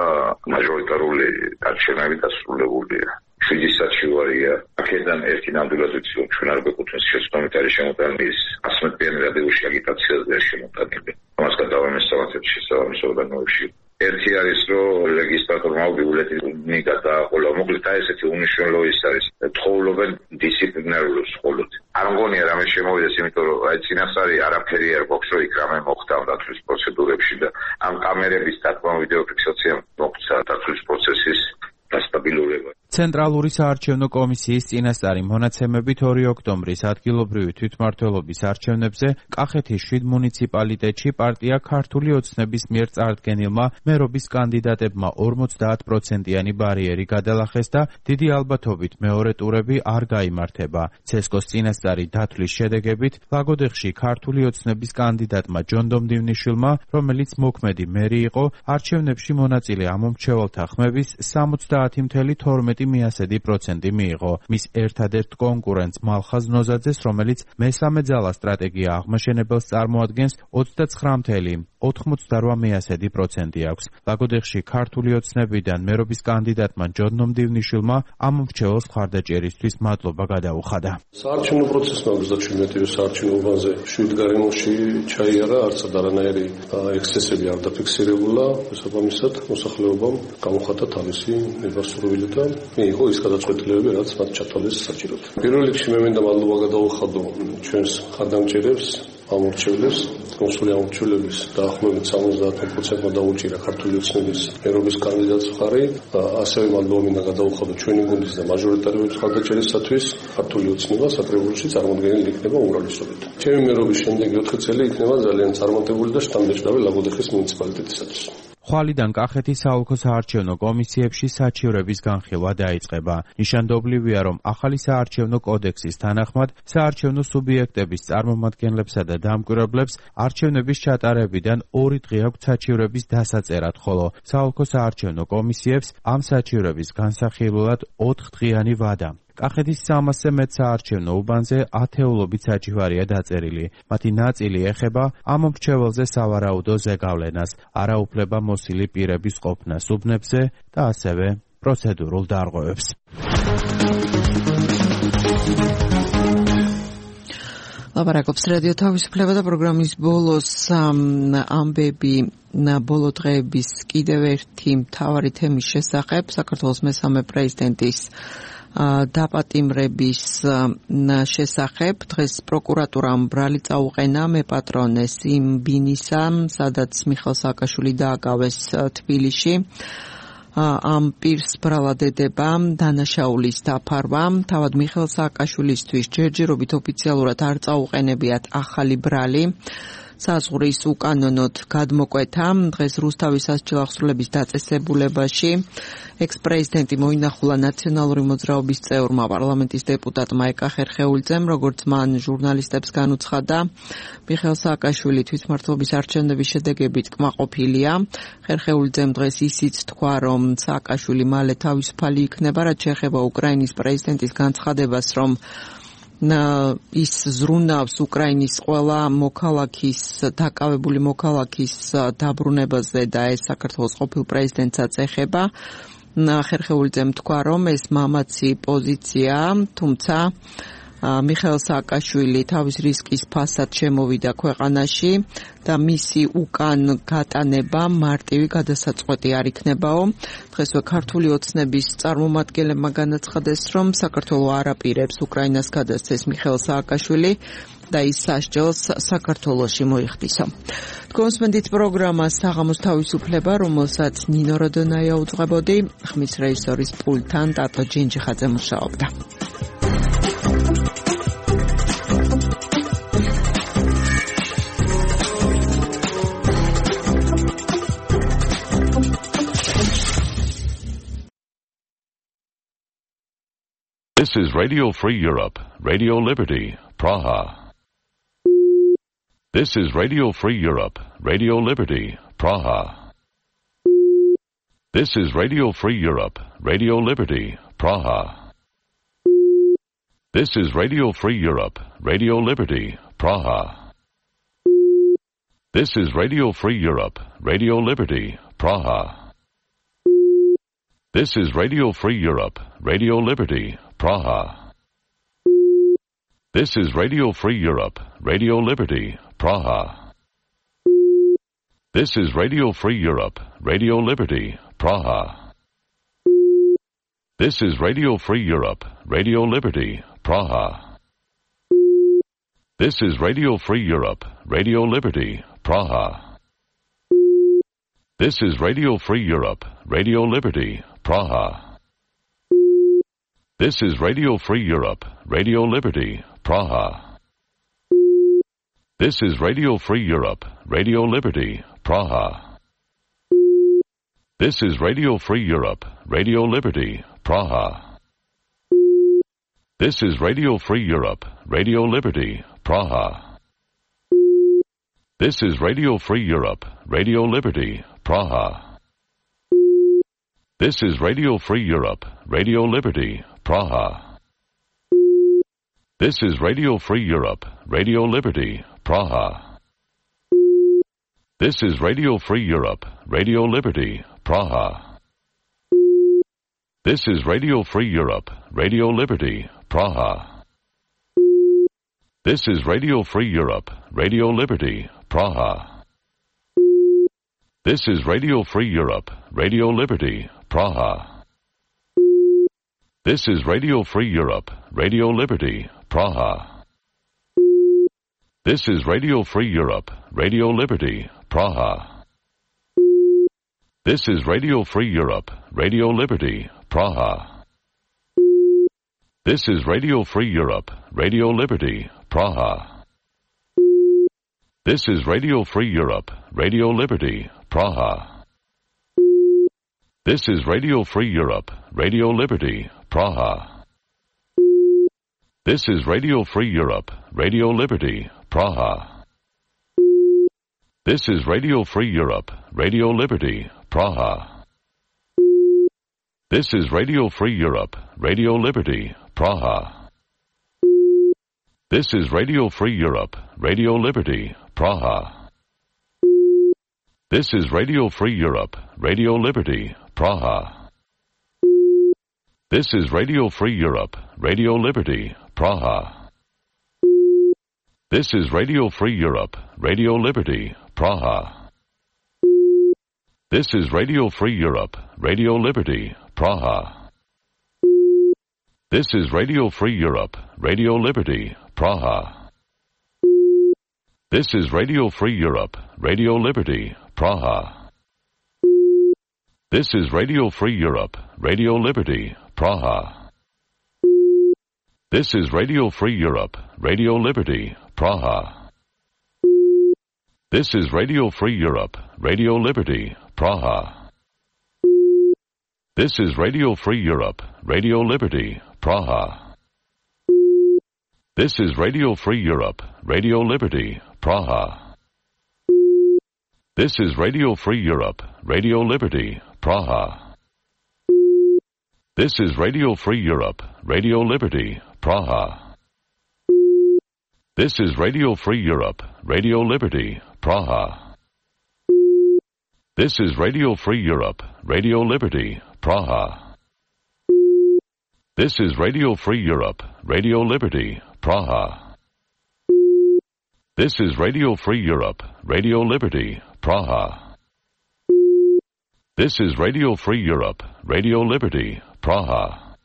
მაჟორიტარული არჩევნები დასრულებულია. 7 საჩივარია. აქედან ერთი ნამდვილად ვიცი, რომ ჩვენ არ გვეკუთვნის შეცდომით არის შემოტანილი 100-მდიანი რადიოში აგიტაციაზე შემოტანილი. ამას გადავამესწავლეთ შესაბამის ორგანოებში. ერთი არის, რომ რეგისტრატორმა ბიულეტენი გადააყოლა. მოკლედ ესეთი უნიშნელო ის არის. თხოვლობენ დისციპლინარულ სკოლით. არ მგონია რამე შემოვიდეს, იმიტომ რომ აი წინასწარი არაფერი არ გვაქვს, რომ იქ რამე მოხდა დათვლის პროცედურებში და ამ კამერების დათბა ვიდეო ფიქსაცია მოხდა დათვლის პროცესის დასტაბილურება. ცენტრალური საარჩევნო კომისიის წინასწარი მონაცემებით 2 ოქტომბრის ადგილობრივი თვითმმართველობის არჩევნებზე კახეთის 7 მუნიციპალიტეტში პარტია ქართული ოცნების მიერ წარდგენილმა მერობის კანდიდატებმა 50%-იანი ბარიერი გადალახეს და დიდი ალბათობით მეორე ტურები არ გაიმართება. ცესკოს წინასწარი დათვლის შედეგებით ლაგოდეხში ქართული ოცნების კანდიდატმა ჯონდომ დივნიშვილმა, რომელიც მოქმედი მერი იყო, არჩევნებში მონაწილე ამომრჩეველთა ხმების 70.12% მიიღო. მის ერთადერთ კონკურენტს მალხაზ ნოზაძეს, რომელიც მესამე ძალა სტრატეგია აღმაშენებელს წარმოადგენს, 29.88% აქვს. ლაგოდეხში ქართული ოცნებიდან მერობის კანდიდატმა ჯონდომ დივნიშვილმა ამომრჩეველს მხარდაჭერისთვის მადლობა გადაუხადა. საარჩევნო პროცესმა 37 საარჩევნო უბანზე 7 გარემოში ჩაიარა, არც არანაირი ექსცესები არ დაფიქსირებულა, შესაბამისად მოსახლეობამ გამოხატა თავისი ნებასურვილი და მიიღო ის გადაწყვეტილებები, რაც მათ ჩათვალეს საჭიროდ. პირველ რიგში მე მინდა მადლობა გადაუხადო ჩვენს ხარდამჭერებს, ამორჩევლებს, კონსული ამორჩევლების დაახლოებით 70%-მა დაუჭირა ქართული ოცნების მერობის კანდიდატს მხარი. ასევე მადლობა მინდა გადაუხადო ჩვენი გუნდის და მაჟორიტარების ხარდაჭერისათვის. ქართული ოცნება საკრებულოში წარმოდგენილი იქნება უმრავლესობით. ჩემი მერობის შემდეგი 4 წელი იქნება ძალიან წარმატებული და შთამბეჭდავი ლაგოდეხის მუნიციპალიტეტისათვის. ხვალიდან კახეთის საოლქო საარჩევნო კომისიებში საჩივრების განხილვა დაიწყება. ნიშანდობლივია, რომ ახალი საარჩევნო კოდექსის თანახმად საარჩევნო სუბიექტების წარმომადგენლებსა და დამკვირვებლებს არჩევნების ჩატარებიდან 2 დღე აქვთ საჩივრების დასაწერად, ხოლო საოლქო საარჩევნო კომისიებს ამ საჩივრების განსახილველად 4 დღიანი ვადა. კახეთის 300-ზე მეტ საარჩევნო უბანზე ათეულობით საჩივარია დაწერილი. მათი ნაწილი ეხება ამომრჩეველზე სავარაუდო ზეგავლენას, არაუფლება მოსილი პირების ყოფნას უბნებზე და ასევე პროცედურულ დარღვევებს. ლაპარაკობს რადიო თავისუფლება და პროგრამის ბოლოს ამბები ბოლო დღეების კიდევ ერთი მთავარი თემის შესახებ, საქართველოს მესამე პრეზიდენტის დაპატიმრების შესახებ. დღეს პროკურატურამ ბრალი წაუყენა მეპატრონეს იმ ბინისა, სადაც მიხეილ სააკაშვილი დააკავეს თბილისში. ამ პირს ბრალად ედება დანაშაულის დაფარვა. თავად მიხეილ სააკაშვილისთვის ჯერჯერობით ოფიციალურად არ წაუყენებიათ ახალი ბრალი. საზღვრის უკანონოდ გადმოკვეთა. დღეს რუსთავის სასჯელ აღსრულების დაწესებულებაში ექს-პრეზიდენტი მოინახულა ნაციონალური მოძრაობის წევრმა პარლამენტის დეპუტატმა ეკა ხერხეულიძემ, როგორც მან ჟურნალისტებს განუცხადა, მიხეილ სააკაშვილი თვითმმართველობის არჩევნების შედეგებით კმაყოფილია. ხერხეულიძემ დღეს ისიც თქვა, რომ სააკაშვილი მალე თავისუფალი იქნება, რაც შეეხება უკრაინის პრეზიდენტის განცხადებას, რომ ის ზრუნავს უკრაინის ყველა დაკავებული მოქალაქის დაბრუნებაზე და ეს საქართველოს ყოფილ პრეზიდენტსაც ეხება. ხერხეულიძემ თქვა, რომ ეს მამაცი პოზიციაა, თუმცა მიხეილ სააკაშვილი თავის რისკის ფასად შემოვიდა ქვეყანაში და მისი უკან გატანება მარტივი გადასაწყვეტი არ იქნებაო. დღესვე ქართული ოცნების წარმომადგენლებმა განაცხადეს, რომ საქართველო არ აპირებს უკრაინას გადასცეს მიხეილ სააკაშვილი და ის სასჯელს საქართველოში მოიხდისო. თქვენსმენდით პროგრამა საღამოს თავისუფლება, რომელსაც ნინო როდონაია უძღვებოდი, ხმის რეჟისორის პულტთან ტატო ჯინჯიხაძე მუშაობდა. This is Radio Free Europe, Radio Liberty, Praha. This is Radio Free Europe, Radio Liberty, Praha. This is Radio Free Europe, Radio Liberty, Praha. This is Radio Free Europe, Radio Liberty, Praha. This is Radio Free Europe, Radio Liberty, Praha. This is Radio Free Europe, Radio Liberty, Praha. This is Radio Free Europe, Radio Liberty, Praha. This is Radio Free Europe, Radio Liberty, Praha. This is Radio Free Europe, Radio Liberty, Praha. This is Radio Free Europe, Radio Liberty, Praha. This is Radio Free Europe, Radio Liberty, Praha. This is Radio Free Europe, Radio Liberty, Praha. This is Radio Free Europe, Radio Liberty, Praha. This is Radio Free Europe, Radio Liberty, Praha. This is Radio Free Europe, Radio Liberty, Praha. This is Radio Free Europe, Radio Liberty, Praha. This is Radio Free Europe, Radio Liberty, Praha. This is Radio Free Europe, Radio Liberty, Praha. This is Radio Free Europe, Radio Liberty, Praha. This is Radio Free Europe, Radio Liberty, Praha. This is Radio Free Europe, Radio Liberty, Praha. This is Radio Free Europe, Radio Liberty, Praha. This is Radio Free Europe, Radio Liberty, Praha. This is Radio Free Europe, Radio Liberty, Praha. This is Radio Free Europe, Radio Liberty, Praha. This is Radio Free Europe, Radio Liberty, Praha. This is Radio Free Europe, Radio Liberty, Praha. This is Radio Free Europe, Radio Liberty, Praha. This is Radio Free Europe, Radio Liberty, Praha. This is Radio Free Europe, Radio Liberty, Praha. This is Radio Free Europe, Radio Liberty, Praha. This is Radio Free Europe, Radio Liberty, Praha. This is Radio Free Europe, Radio Liberty, Praha. This is Radio Free Europe, Radio Liberty, Praha. This is Radio Free Europe, Radio Liberty, Praha. This is Radio Free Europe, Radio Liberty, Praha. This is Radio Free Europe, Radio Liberty, Praha. This is Radio Free Europe, Radio Liberty, Praha. This is Radio Free Europe, Radio Liberty, Praha. This is Radio Free Europe, Radio Liberty, Praha. This is Radio Free Europe, Radio Liberty, Praha. This is Radio Free Europe, Radio Liberty, Praha. This is Radio Free Europe, Radio Liberty, Praha. This is Radio Free Europe, Radio Liberty, Praha. This is Radio Free Europe, Radio Liberty, Praha. This is Radio Free Europe, Radio Liberty, Praha. This is Radio Free Europe, Radio Liberty, Praha. This is Radio Free Europe, Radio Liberty, Praha. This is Radio Free Europe, Radio Liberty, Praha. This is Radio Free Europe, Radio Liberty, Praha.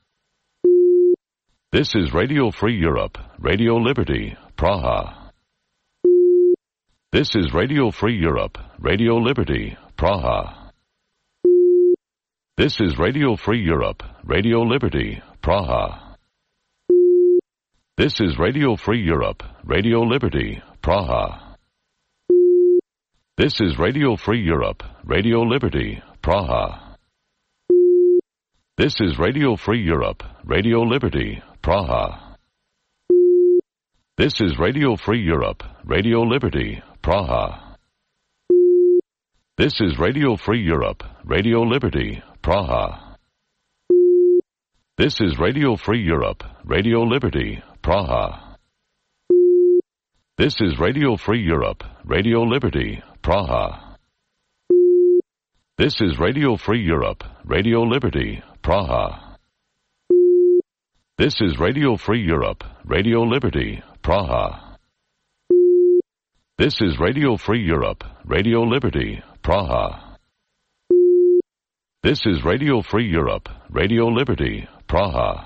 This is Radio Free Europe, Radio Liberty, Praha. This is Radio Free Europe, Radio Liberty, Praha. This is Radio Free Europe, Radio Liberty, Praha. This is Radio Free Europe, Radio Liberty, Praha. This is Radio Free Europe, Radio Liberty, Praha. This is Radio Free Europe, Radio Liberty, Praha. This is Radio Free Europe, Radio Liberty, Praha. This is Radio Free Europe, Radio Liberty, Praha. This is Radio Free Europe, Radio Liberty, Praha. This is Radio Free Europe, Radio Liberty, Praha. This is Radio Free Europe, Radio Liberty, Praha. This is Radio Free Europe, Radio Liberty, Praha. This is Radio Free Europe, Radio Liberty, Praha. This is Radio Free Europe, Radio Liberty, Praha.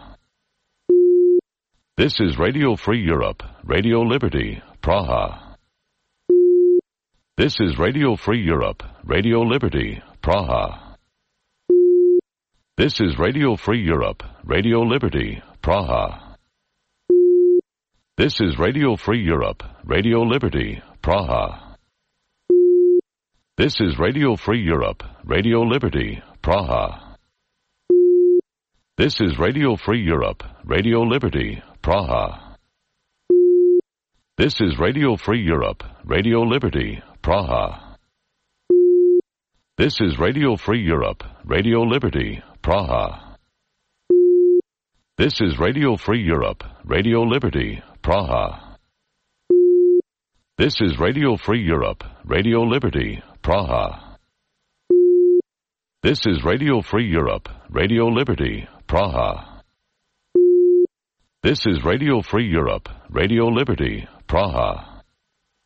This is Radio Free Europe, Radio Liberty, Praha. This is Radio Free Europe, Radio Liberty, Praha. This is Radio Free Europe, Radio Liberty, Praha. This is Radio Free Europe, Radio Liberty, Praha. This is Radio Free Europe, Radio Liberty, Praha. This is Radio Free Europe, Radio Liberty, Praha. This is Radio Free Europe, Radio Liberty, Praha. This is Radio Free Europe, Radio Liberty, Praha. This is Radio Free Europe, Radio Liberty, Praha. This is Radio Free Europe, Radio Liberty, Praha. This is Radio Free Europe, Radio Liberty, Praha. This is Radio Free Europe, Radio Liberty, Praha.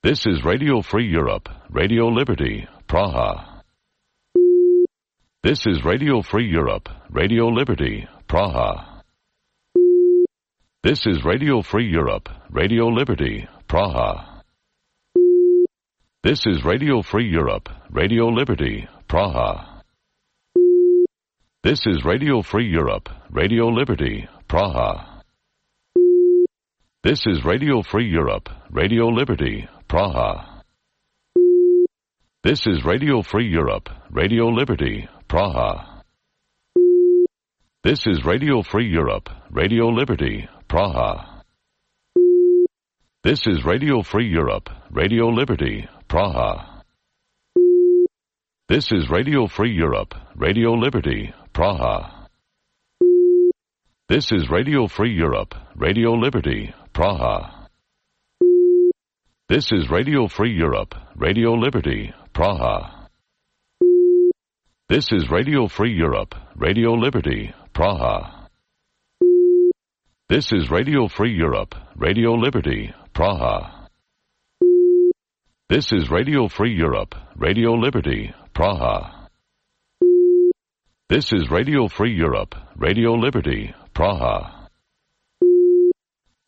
This is Radio Free Europe, Radio Liberty, Praha. This is Radio Free Europe, Radio Liberty, Praha. This is Radio Free Europe, Radio Liberty, Praha. This is Radio Free Europe, Radio Liberty, Praha. This is Radio Free Europe, Radio Liberty, Praha. This is Radio Free Europe, Radio Liberty, Praha. This is Radio Free Europe, Radio Liberty, Praha. This is Radio Free Europe, Radio Liberty, Praha. This is Radio Free Europe, Radio Liberty, Praha. This is Radio Free Europe, Radio Liberty, Praha. This is Radio Free Europe, Radio Liberty, Praha. This is Radio Free Europe, Radio Liberty, Praha. This is Radio Free Europe, Radio Liberty, Praha. This is Radio Free Europe, Radio Liberty, Praha. This is Radio Free Europe, Radio Liberty, Praha. This is Radio Free Europe, Radio Liberty, Praha.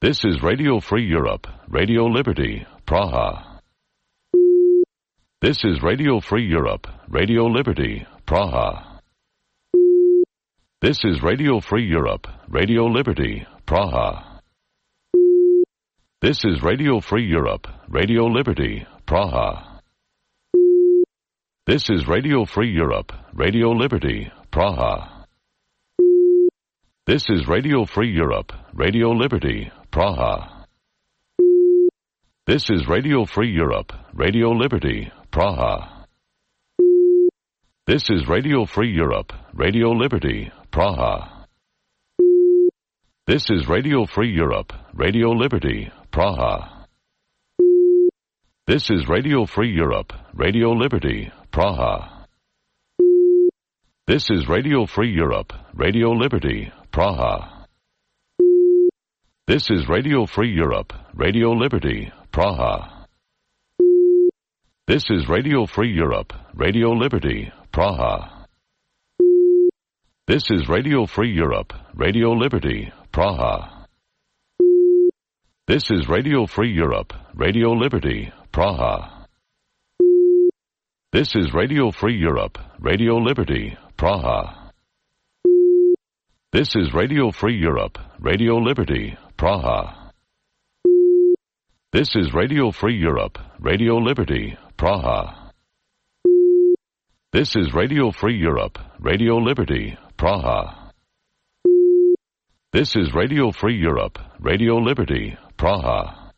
This is Radio Free Europe, Radio Liberty, Praha. This is Radio Free Europe, Radio Liberty, Praha. This is Radio Free Europe, Radio Liberty, Praha. This is Radio Free Europe, Radio Liberty, Praha. This is Radio Free Europe, Radio Liberty, Praha. This is Radio Free Europe, Radio Liberty, Praha. This is Radio Free Europe, Radio Liberty, Praha. This is Radio Free Europe, Radio Liberty, Praha. This is Radio Free Europe, Radio Liberty, Praha. This is Radio Free Europe, Radio Liberty, Praha. This is Radio Free Europe, Radio Liberty, Praha. This is Radio Free Europe, Radio Liberty, Praha. This is Radio Free Europe, Radio Liberty, Praha. This is Radio Free Europe, Radio Liberty, Praha. This is Radio Free Europe, Radio Liberty, Praha. This is Radio Free Europe, Radio Liberty, Praha. This is Radio Free Europe, Radio Liberty, Praha. This is Radio Free Europe, Radio Liberty, Praha. This is Radio Free Europe, Radio Liberty, Praha. This is Radio Free Europe, Radio Liberty, Praha.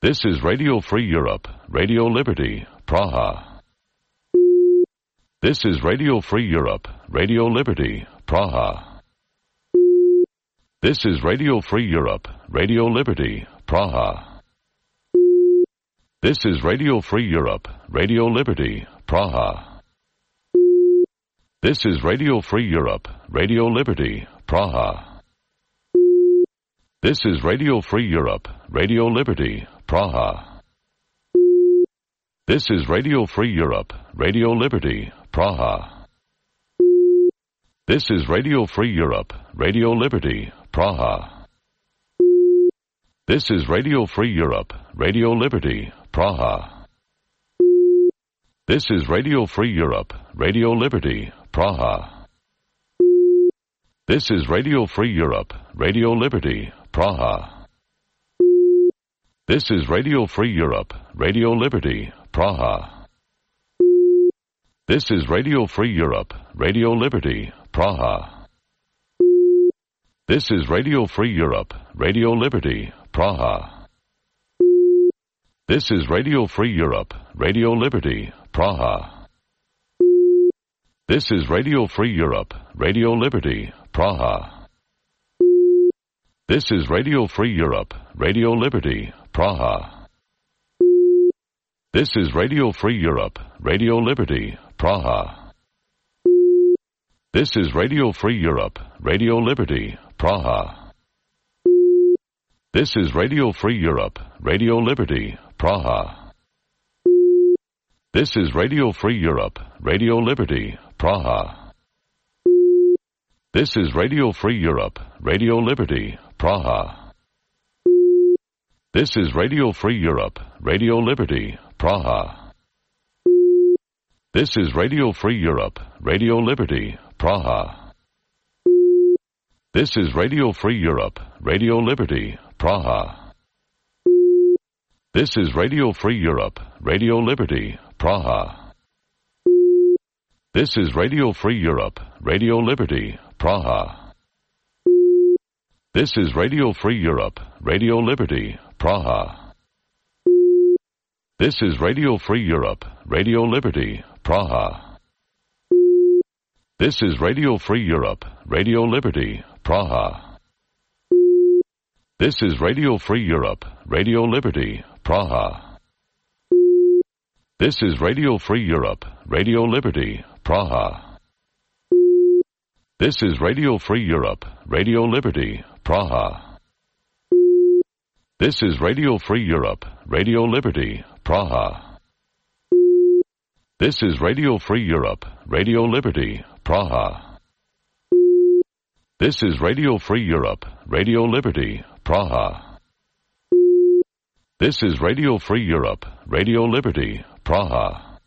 This is Radio Free Europe, Radio Liberty, Praha. This is Radio Free Europe, Radio Liberty, Praha. This is Radio Free Europe, Radio Liberty, Praha. This is Radio Free Europe, Radio Liberty, Praha. This is Radio Free Europe, Radio Liberty, Praha. This is Radio Free Europe, Radio Liberty, Praha. This is Radio Free Europe, Radio Liberty, Praha. This is Radio Free Europe, Radio Liberty, Praha. This is Radio Free Europe, Radio Liberty, Praha. This is Radio Free Europe, Radio Liberty, Praha. This is Radio Free Europe, Radio Liberty, Praha. This is Radio Free Europe, Radio Liberty, Praha. This is Radio Free Europe, Radio Liberty, Praha. This is Radio Free Europe, Radio Liberty, Praha. This is Radio Free Europe, Radio Liberty, Praha. This is Radio Free Europe, Radio Liberty, Praha. This is Radio Free Europe, Radio Liberty, Praha. This is Radio Free Europe, Radio Liberty, Praha. This is Radio Free Europe, Radio Liberty, Praha. This is Radio Free Europe, Radio Liberty, Praha. This is Radio Free Europe, Radio Liberty, Praha. This is Radio Free Europe, Radio Liberty, Praha. This is Radio Free Europe, Radio Liberty, Praha. This is Radio Free Europe, Radio Liberty, Praha. This is Radio Free Europe, Radio Liberty, Praha. This is Radio Free Europe, Radio Liberty, Praha. This is Radio Free Europe, Radio Liberty, Praha. This is Radio Free Europe, Radio Liberty, Praha. This is Radio Free Europe, Radio Liberty, Praha. This is Radio Free Europe, Radio Liberty, Praha. This is Radio Free Europe, Radio Liberty, Praha. This is Radio Free Europe, Radio Liberty, Praha. This is Radio Free Europe, Radio Liberty, Praha. This is Radio Free Europe, Radio Liberty, Praha. This is Radio Free Europe, Radio Liberty, Praha. This is Radio Free Europe, Radio Liberty, Praha. This is Radio Free Europe, Radio Liberty, Praha.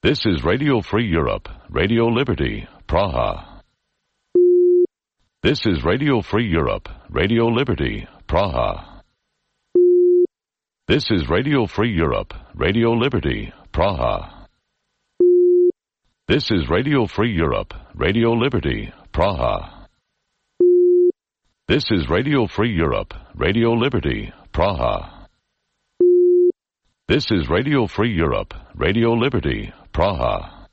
This is Radio Free Europe, Radio Liberty, Praha. This is Radio Free Europe, Radio Liberty, Praha. This is Radio Free Europe, Radio Liberty, Praha. This is Radio Free Europe, Radio Liberty, Praha. This is Radio Free Europe, Radio Liberty, Praha. This is Radio Free Europe, Radio Liberty, Praha.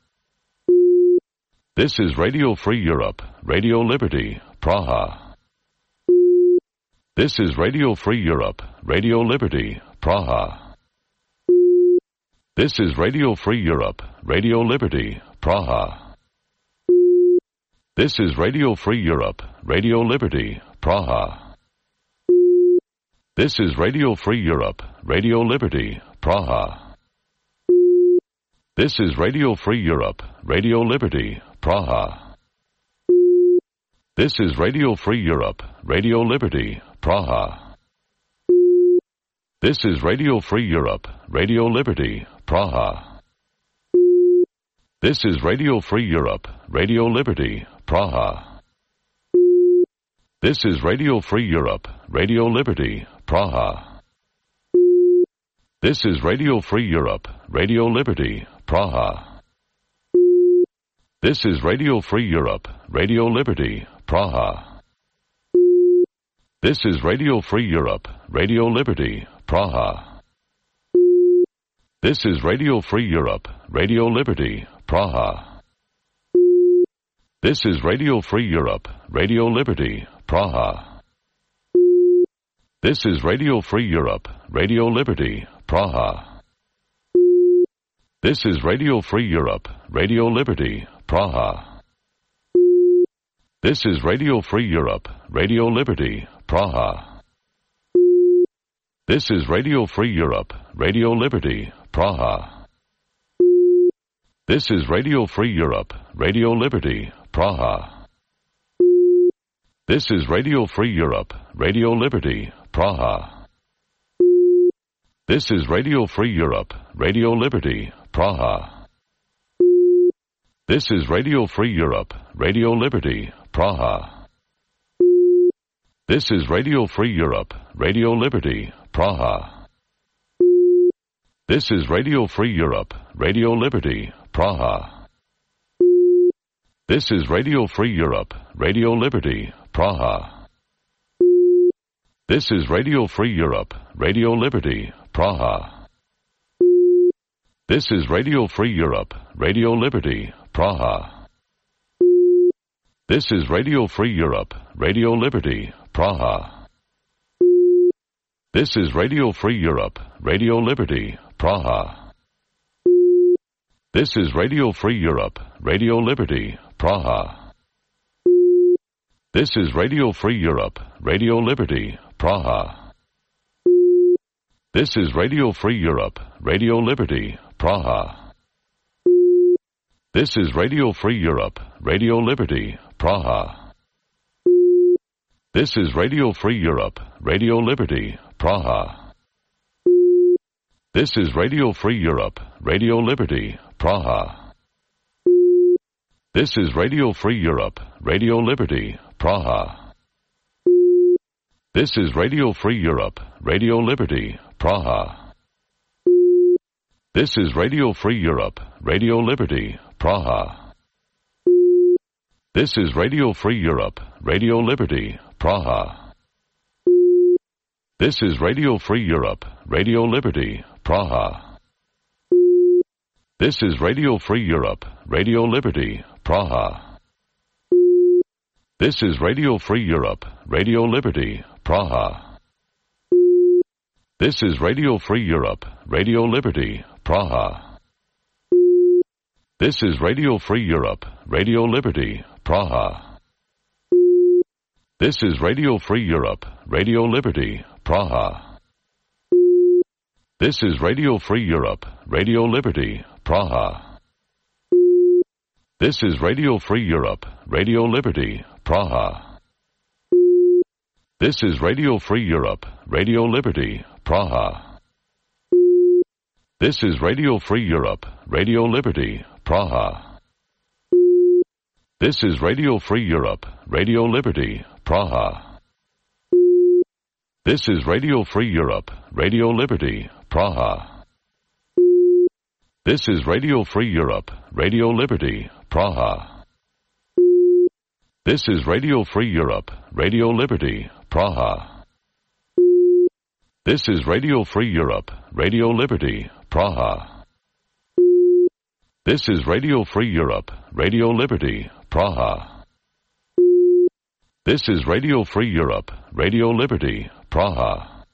This is Radio Free Europe, Radio Liberty, Praha. This is Radio Free Europe, Radio Liberty, Praha. This is Radio Free Europe, Radio Liberty, Praha. This is Radio Free Europe, Radio Liberty, Praha. This is Radio Free Europe, Radio Liberty, Praha. This is Radio Free Europe, Radio Liberty, Praha. This is Radio Free Europe, Radio Liberty, Praha. This is Radio Free Europe, Radio Liberty, Praha. This is Radio Free Europe, Radio Liberty, Praha. This is Radio Free Europe, Radio Liberty, Praha. This is Radio Free Europe, Radio Liberty, Praha. This is Radio Free Europe, Radio Liberty, Praha. This is Radio Free Europe, Radio Liberty, Praha. This is Radio Free Europe, Radio Liberty, Praha. This is Radio Free Europe, Radio Liberty, Praha. This is Radio Free Europe, Radio Liberty, Praha. This is Radio Free Europe, Radio Liberty, Praha. This is Radio Free Europe, Radio Liberty, Praha. This is Radio Free Europe, Radio Liberty, Praha. This is Radio Free Europe, Radio Liberty, Praha. This is Radio Free Europe, Radio Liberty, Praha. This is Radio Free Europe, Radio Liberty, Praha. This is Radio Free Europe, Radio Liberty, Praha. This is Radio Free Europe, Radio Liberty, Praha. This is Radio Free Europe, Radio Liberty, Praha. This is Radio Free Europe, Radio Liberty, Praha. This is Radio Free Europe, Radio Liberty, Praha. This is Radio Free Europe, Radio Liberty, Praha. This is Radio Free Europe, Radio Liberty, Praha. This is Radio Free Europe, Radio Liberty, Praha. This is Radio Free Europe, Radio Liberty, Praha. This is Radio Free Europe, Radio Liberty, Praha. This is Radio Free Europe, Radio Liberty, Praha. This is Radio Free Europe, Radio Liberty, Praha. This is Radio Free Europe, Radio Liberty, Praha. This is Radio Free Europe, Radio Liberty, Praha. This is Radio Free Europe, Radio Liberty, Praha. This is Radio Free Europe, Radio Liberty, Praha. This is Radio Free Europe, Radio Liberty, Praha. This is Radio Free Europe, Radio Liberty, Praha. This is Radio Free Europe, Radio Liberty, Praha. This is Radio Free Europe, Radio Liberty, Praha. This is Radio Free Europe, Radio Liberty, Praha. This is Radio Free Europe, Radio Liberty, Praha. This is Radio Free Europe, Radio Liberty, Praha. This is Radio Free Europe, Radio Liberty, Praha. This is Radio Free Europe, Radio Liberty, Praha. This is Radio Free Europe, Radio Liberty, Praha. This is Radio Free Europe, Radio Liberty, Praha. This is Radio Free Europe, Radio Liberty, Praha. This is Radio Free Europe, Radio Liberty, Praha. This is Radio Free Europe, Radio Liberty, Praha. This is Radio Free Europe, Radio Liberty, Praha. This is Radio Free Europe, Radio Liberty, Praha. This is Radio Free Europe, Radio Liberty, Praha. This is Radio Free Europe, Radio Liberty, Praha. This is Radio Free Europe, Radio Liberty, Praha.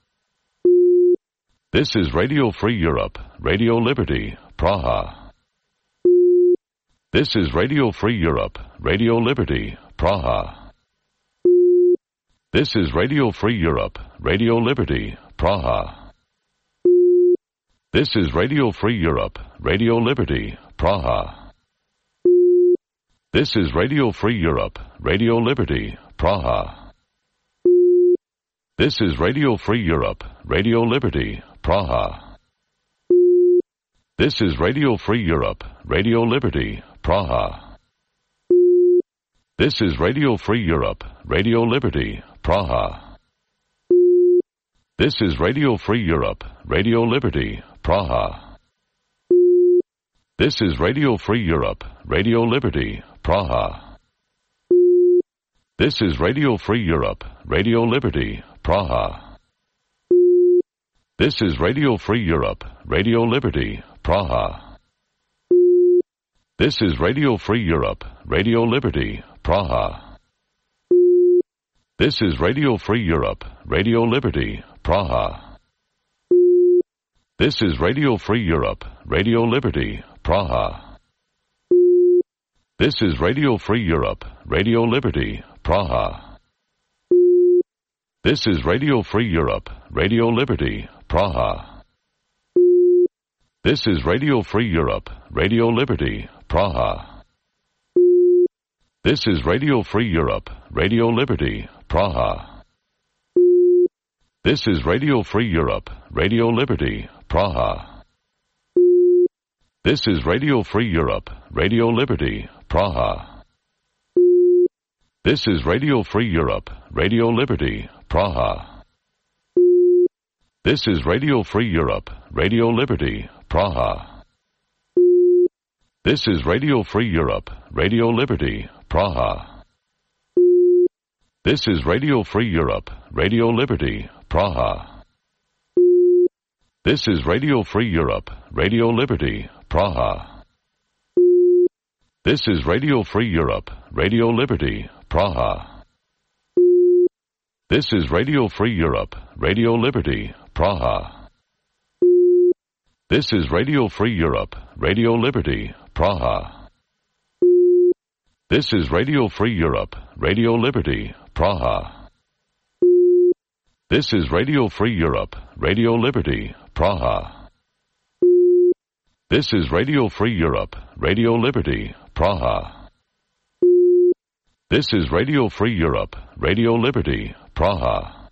This is Radio Free Europe, Radio Liberty, Praha. This is Radio Free Europe, Radio Liberty, Praha. This is Radio Free Europe, Radio Liberty, Praha. This is Radio Free Europe, Radio Liberty, Praha. This is Radio Free Europe, Radio Liberty, Praha. This is Radio Free Europe, Radio Liberty, Praha. This is Radio Free Europe, Radio Liberty, Praha. This is Radio Free Europe, Radio Liberty, Praha. This is Radio Free Europe, Radio Liberty, Praha. This is Radio Free Europe, Radio Liberty, Praha. This is Radio Free Europe, Radio Liberty, Praha. This is Radio Free Europe, Radio Liberty, Praha. This is Radio Free Europe, Radio Liberty, Praha. This is Radio Free Europe, Radio Liberty, Praha. This is Radio Free Europe, Radio Liberty, Praha. This is Radio Free Europe, Radio Liberty, Praha. This is Radio Free Europe, Radio Liberty, Praha. This is Radio Free Europe, Radio Liberty, Praha. This is Radio Free Europe, Radio Liberty, Praha. This is Radio Free Europe, Radio Liberty, Praha. This is Radio Free Europe, Radio Liberty, Praha. This is Radio Free Europe, Radio Liberty, Praha. This is Radio Free Europe, Radio Liberty, Praha. This is Radio Free Europe, Radio Liberty, Praha. This is Radio Free Europe, Radio Liberty, Praha. This is Radio Free Europe, Radio Liberty, Praha. This is Radio Free Europe, Radio Liberty, Praha. This is Radio Free Europe, Radio Liberty, Praha. This is Radio Free Europe, Radio Liberty, Praha. This is Radio Free Europe, Radio Liberty, Praha. This is Radio Free Europe, Radio Liberty, Praha. This is Radio Free Europe, Radio Liberty, Praha. This is Radio Free Europe, Radio Liberty, Praha.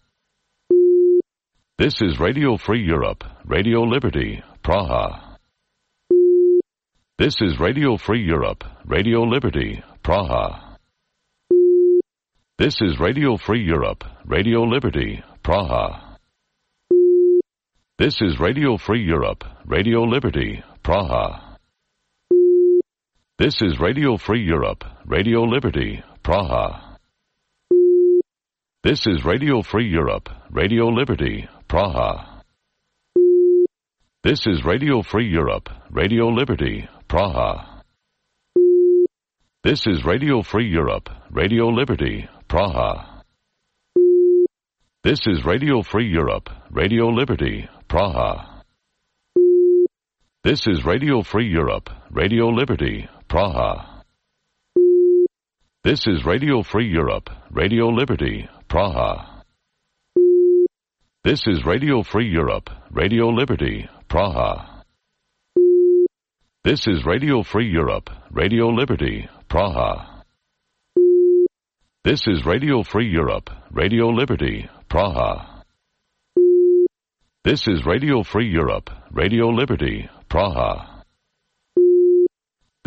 This is Radio Free Europe, Radio Liberty, Praha. This is Radio Free Europe, Radio Liberty, Praha. This is Radio Free Europe, Radio Liberty, Praha. This is Radio Free Europe, Radio Liberty, Praha. This is Radio Free Europe, Radio Liberty, Praha. This is Radio Free Europe, Radio Liberty, Praha. This is Radio Free Europe, Radio Liberty, Praha. This is Radio Free Europe, Radio Liberty, Praha. This is Radio Free Europe, Radio Liberty, Praha. This is Radio Free Europe, Radio Liberty, Praha. This is Radio Free Europe, Radio Liberty, Praha. This is Radio Free Europe, Radio Liberty, Praha. This is Radio Free Europe, Radio Liberty, Praha. This is Radio Free Europe, Radio Liberty, Praha. This is Radio Free Europe, Radio Liberty, Praha.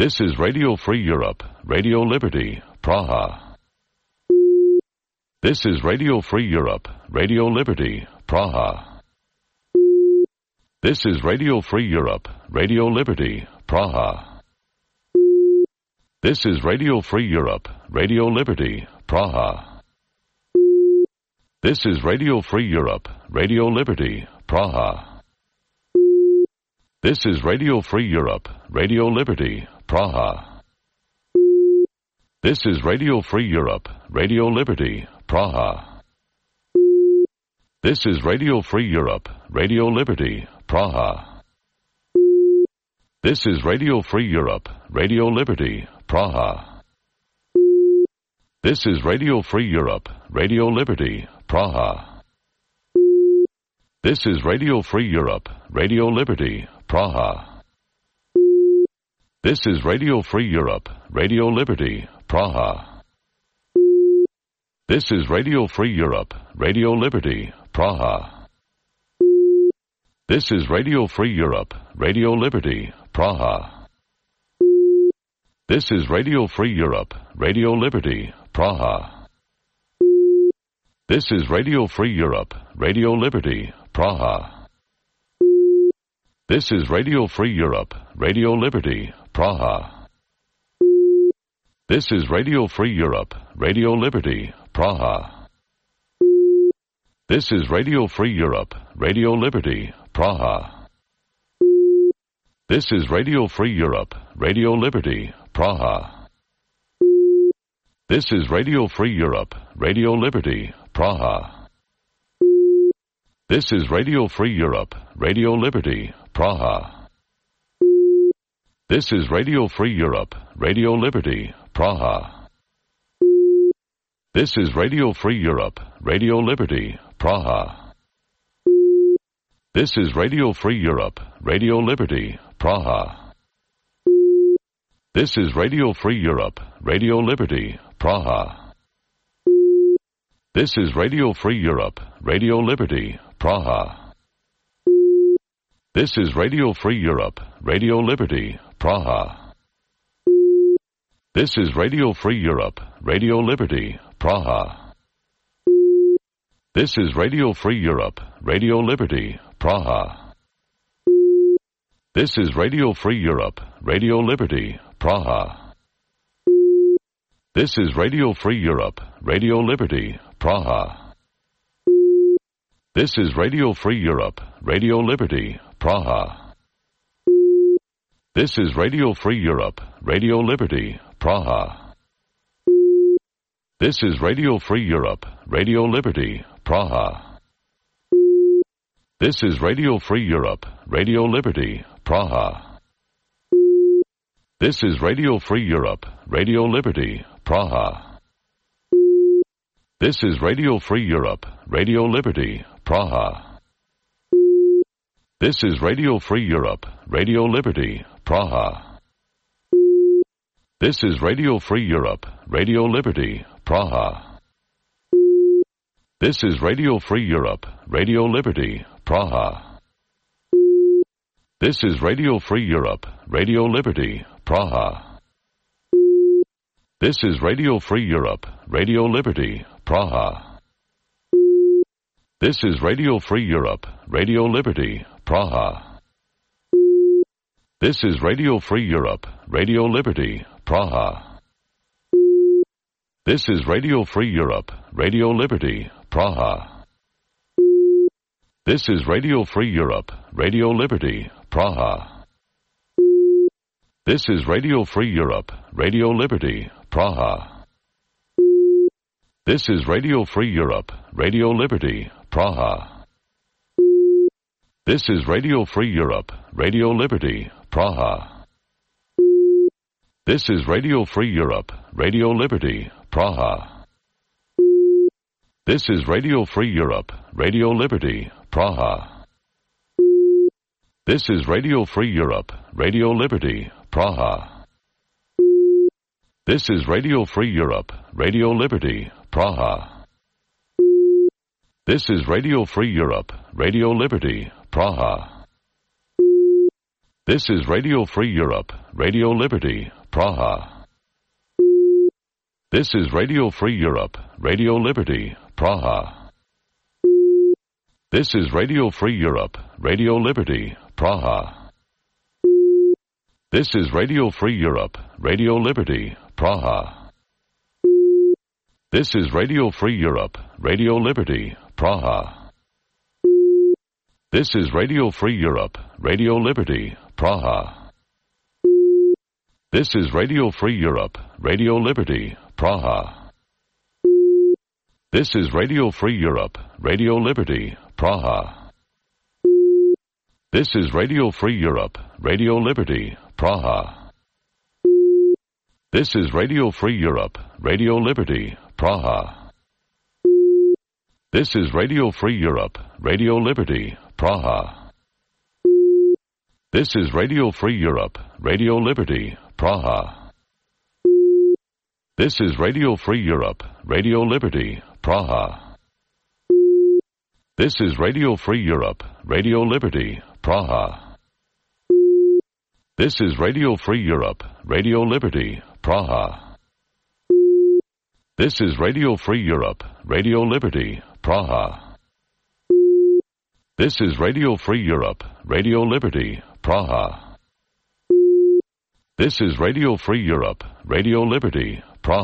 This is Radio Free Europe, Radio Liberty, Praha. This is Radio Free Europe, Radio Liberty, Praha. This is Radio Free Europe, Radio Liberty, Praha. This is Radio Free Europe, Radio Liberty, Praha. This is Radio Free Europe, Radio Liberty, Praha. This is Radio Free Europe, Radio Liberty, Praha. This is Radio Free Europe, Radio Liberty, Praha. This is Radio Free Europe, Radio Liberty, Praha. This is Radio Free Europe, Radio Liberty, Praha. This is Radio Free Europe, Radio Liberty, Praha. This is Radio Free Europe, Radio Liberty, Praha. This is Radio Free Europe, Radio Liberty, Praha. This is Radio Free Europe, Radio Liberty, Praha. This is Radio Free Europe, Radio Liberty, Praha. This is Radio Free Europe, Radio Liberty, Praha. This is Radio Free Europe, Radio Liberty, Praha. This is Radio Free Europe, Radio Liberty, Praha. This is Radio Free Europe, Radio Liberty, Praha. This is Radio Free Europe, Radio Liberty, Praha. This is Radio Free Europe, Radio Liberty, Praha. This is Radio Free Europe, Radio Liberty, Praha. This is Radio Free Europe, Radio Liberty, Praha. This is Radio Free Europe, Radio Liberty, Praha. This is Radio Free Europe, Radio Liberty, Praha. This is Radio Free Europe, Radio Liberty, Praha. This is Radio Free Europe, Radio Liberty, Praha. This is Radio Free Europe, Radio Liberty, Praha. This is Radio Free Europe, Radio Liberty, Praha. This is Radio Free Europe, Radio Liberty, Praha. This is Radio Free Europe, Radio Liberty, Praha. This is Radio Free Europe, Radio Liberty, Praha. This is Radio Free Europe, Radio Liberty, Praha. This is Radio Free Europe, Radio Liberty, Praha. This is Radio Free Europe, Radio Liberty, Praha. This is Radio Free Europe, Radio Liberty, Praha. This is Radio Free Europe, Radio Liberty, Praha. This is Radio Free Europe, Radio Liberty, Praha. This is Radio Free Europe, Radio Liberty, Praha. This is Radio Free Europe, Radio Liberty, Praha. This is Radio Free Europe, Radio Liberty, Praha. This is Radio Free Europe, Radio Liberty, Praha. This is Radio Free Europe, Radio Liberty, Praha. This is Radio Free Europe, Radio Liberty, Praha. This is Radio Free Europe, Radio Liberty, Praha. This is Radio Free Europe, Radio Liberty, Praha. This is Radio Free Europe, Radio Liberty, Praha. This is Radio Free Europe, Radio Liberty, Praha. This is Radio Free Europe, Radio Liberty, Praha. This is Radio Free Europe, Radio Liberty, Praha. This is Radio Free Europe, Radio Liberty, Praha. This is Radio Free Europe, Radio Liberty, Praha. This is Radio Free Europe, Radio Liberty, Praha. This is Radio Free Europe, Radio Liberty, Praha. This is Radio Free Europe, Radio Liberty, Praha. This is Radio Free Europe, Radio Liberty, Praha. This is Radio Free Europe, Radio Liberty, Praha. This is Radio Free Europe, Radio Liberty, Praha. This is Radio Free Europe, Radio Liberty, Praha. This is Radio Free Europe, Radio Liberty, Praha. This is Radio Free Europe, Radio Liberty, Praha. This is Radio Free Europe, Radio Liberty, Praha. This is Radio Free Europe, Radio Liberty, Praha. This is Radio Free Europe, Radio Liberty, Praha. This is Radio Free Europe, Radio Liberty, Praha. This is Radio Free Europe, Radio Liberty, Praha. This is Radio Free Europe, Radio Liberty, Praha. This is Radio Free Europe, Radio Liberty, Praha. This is Radio Free Europe, Radio Liberty, Praha. This is Radio Free Europe, Radio Liberty, Praha. This is Radio Free Europe, Radio Liberty, Praha. This is Radio Free Europe, Radio Liberty, Praha. This is Radio Free Europe, Radio Liberty, Praha. This is Radio Free Europe, Radio Liberty,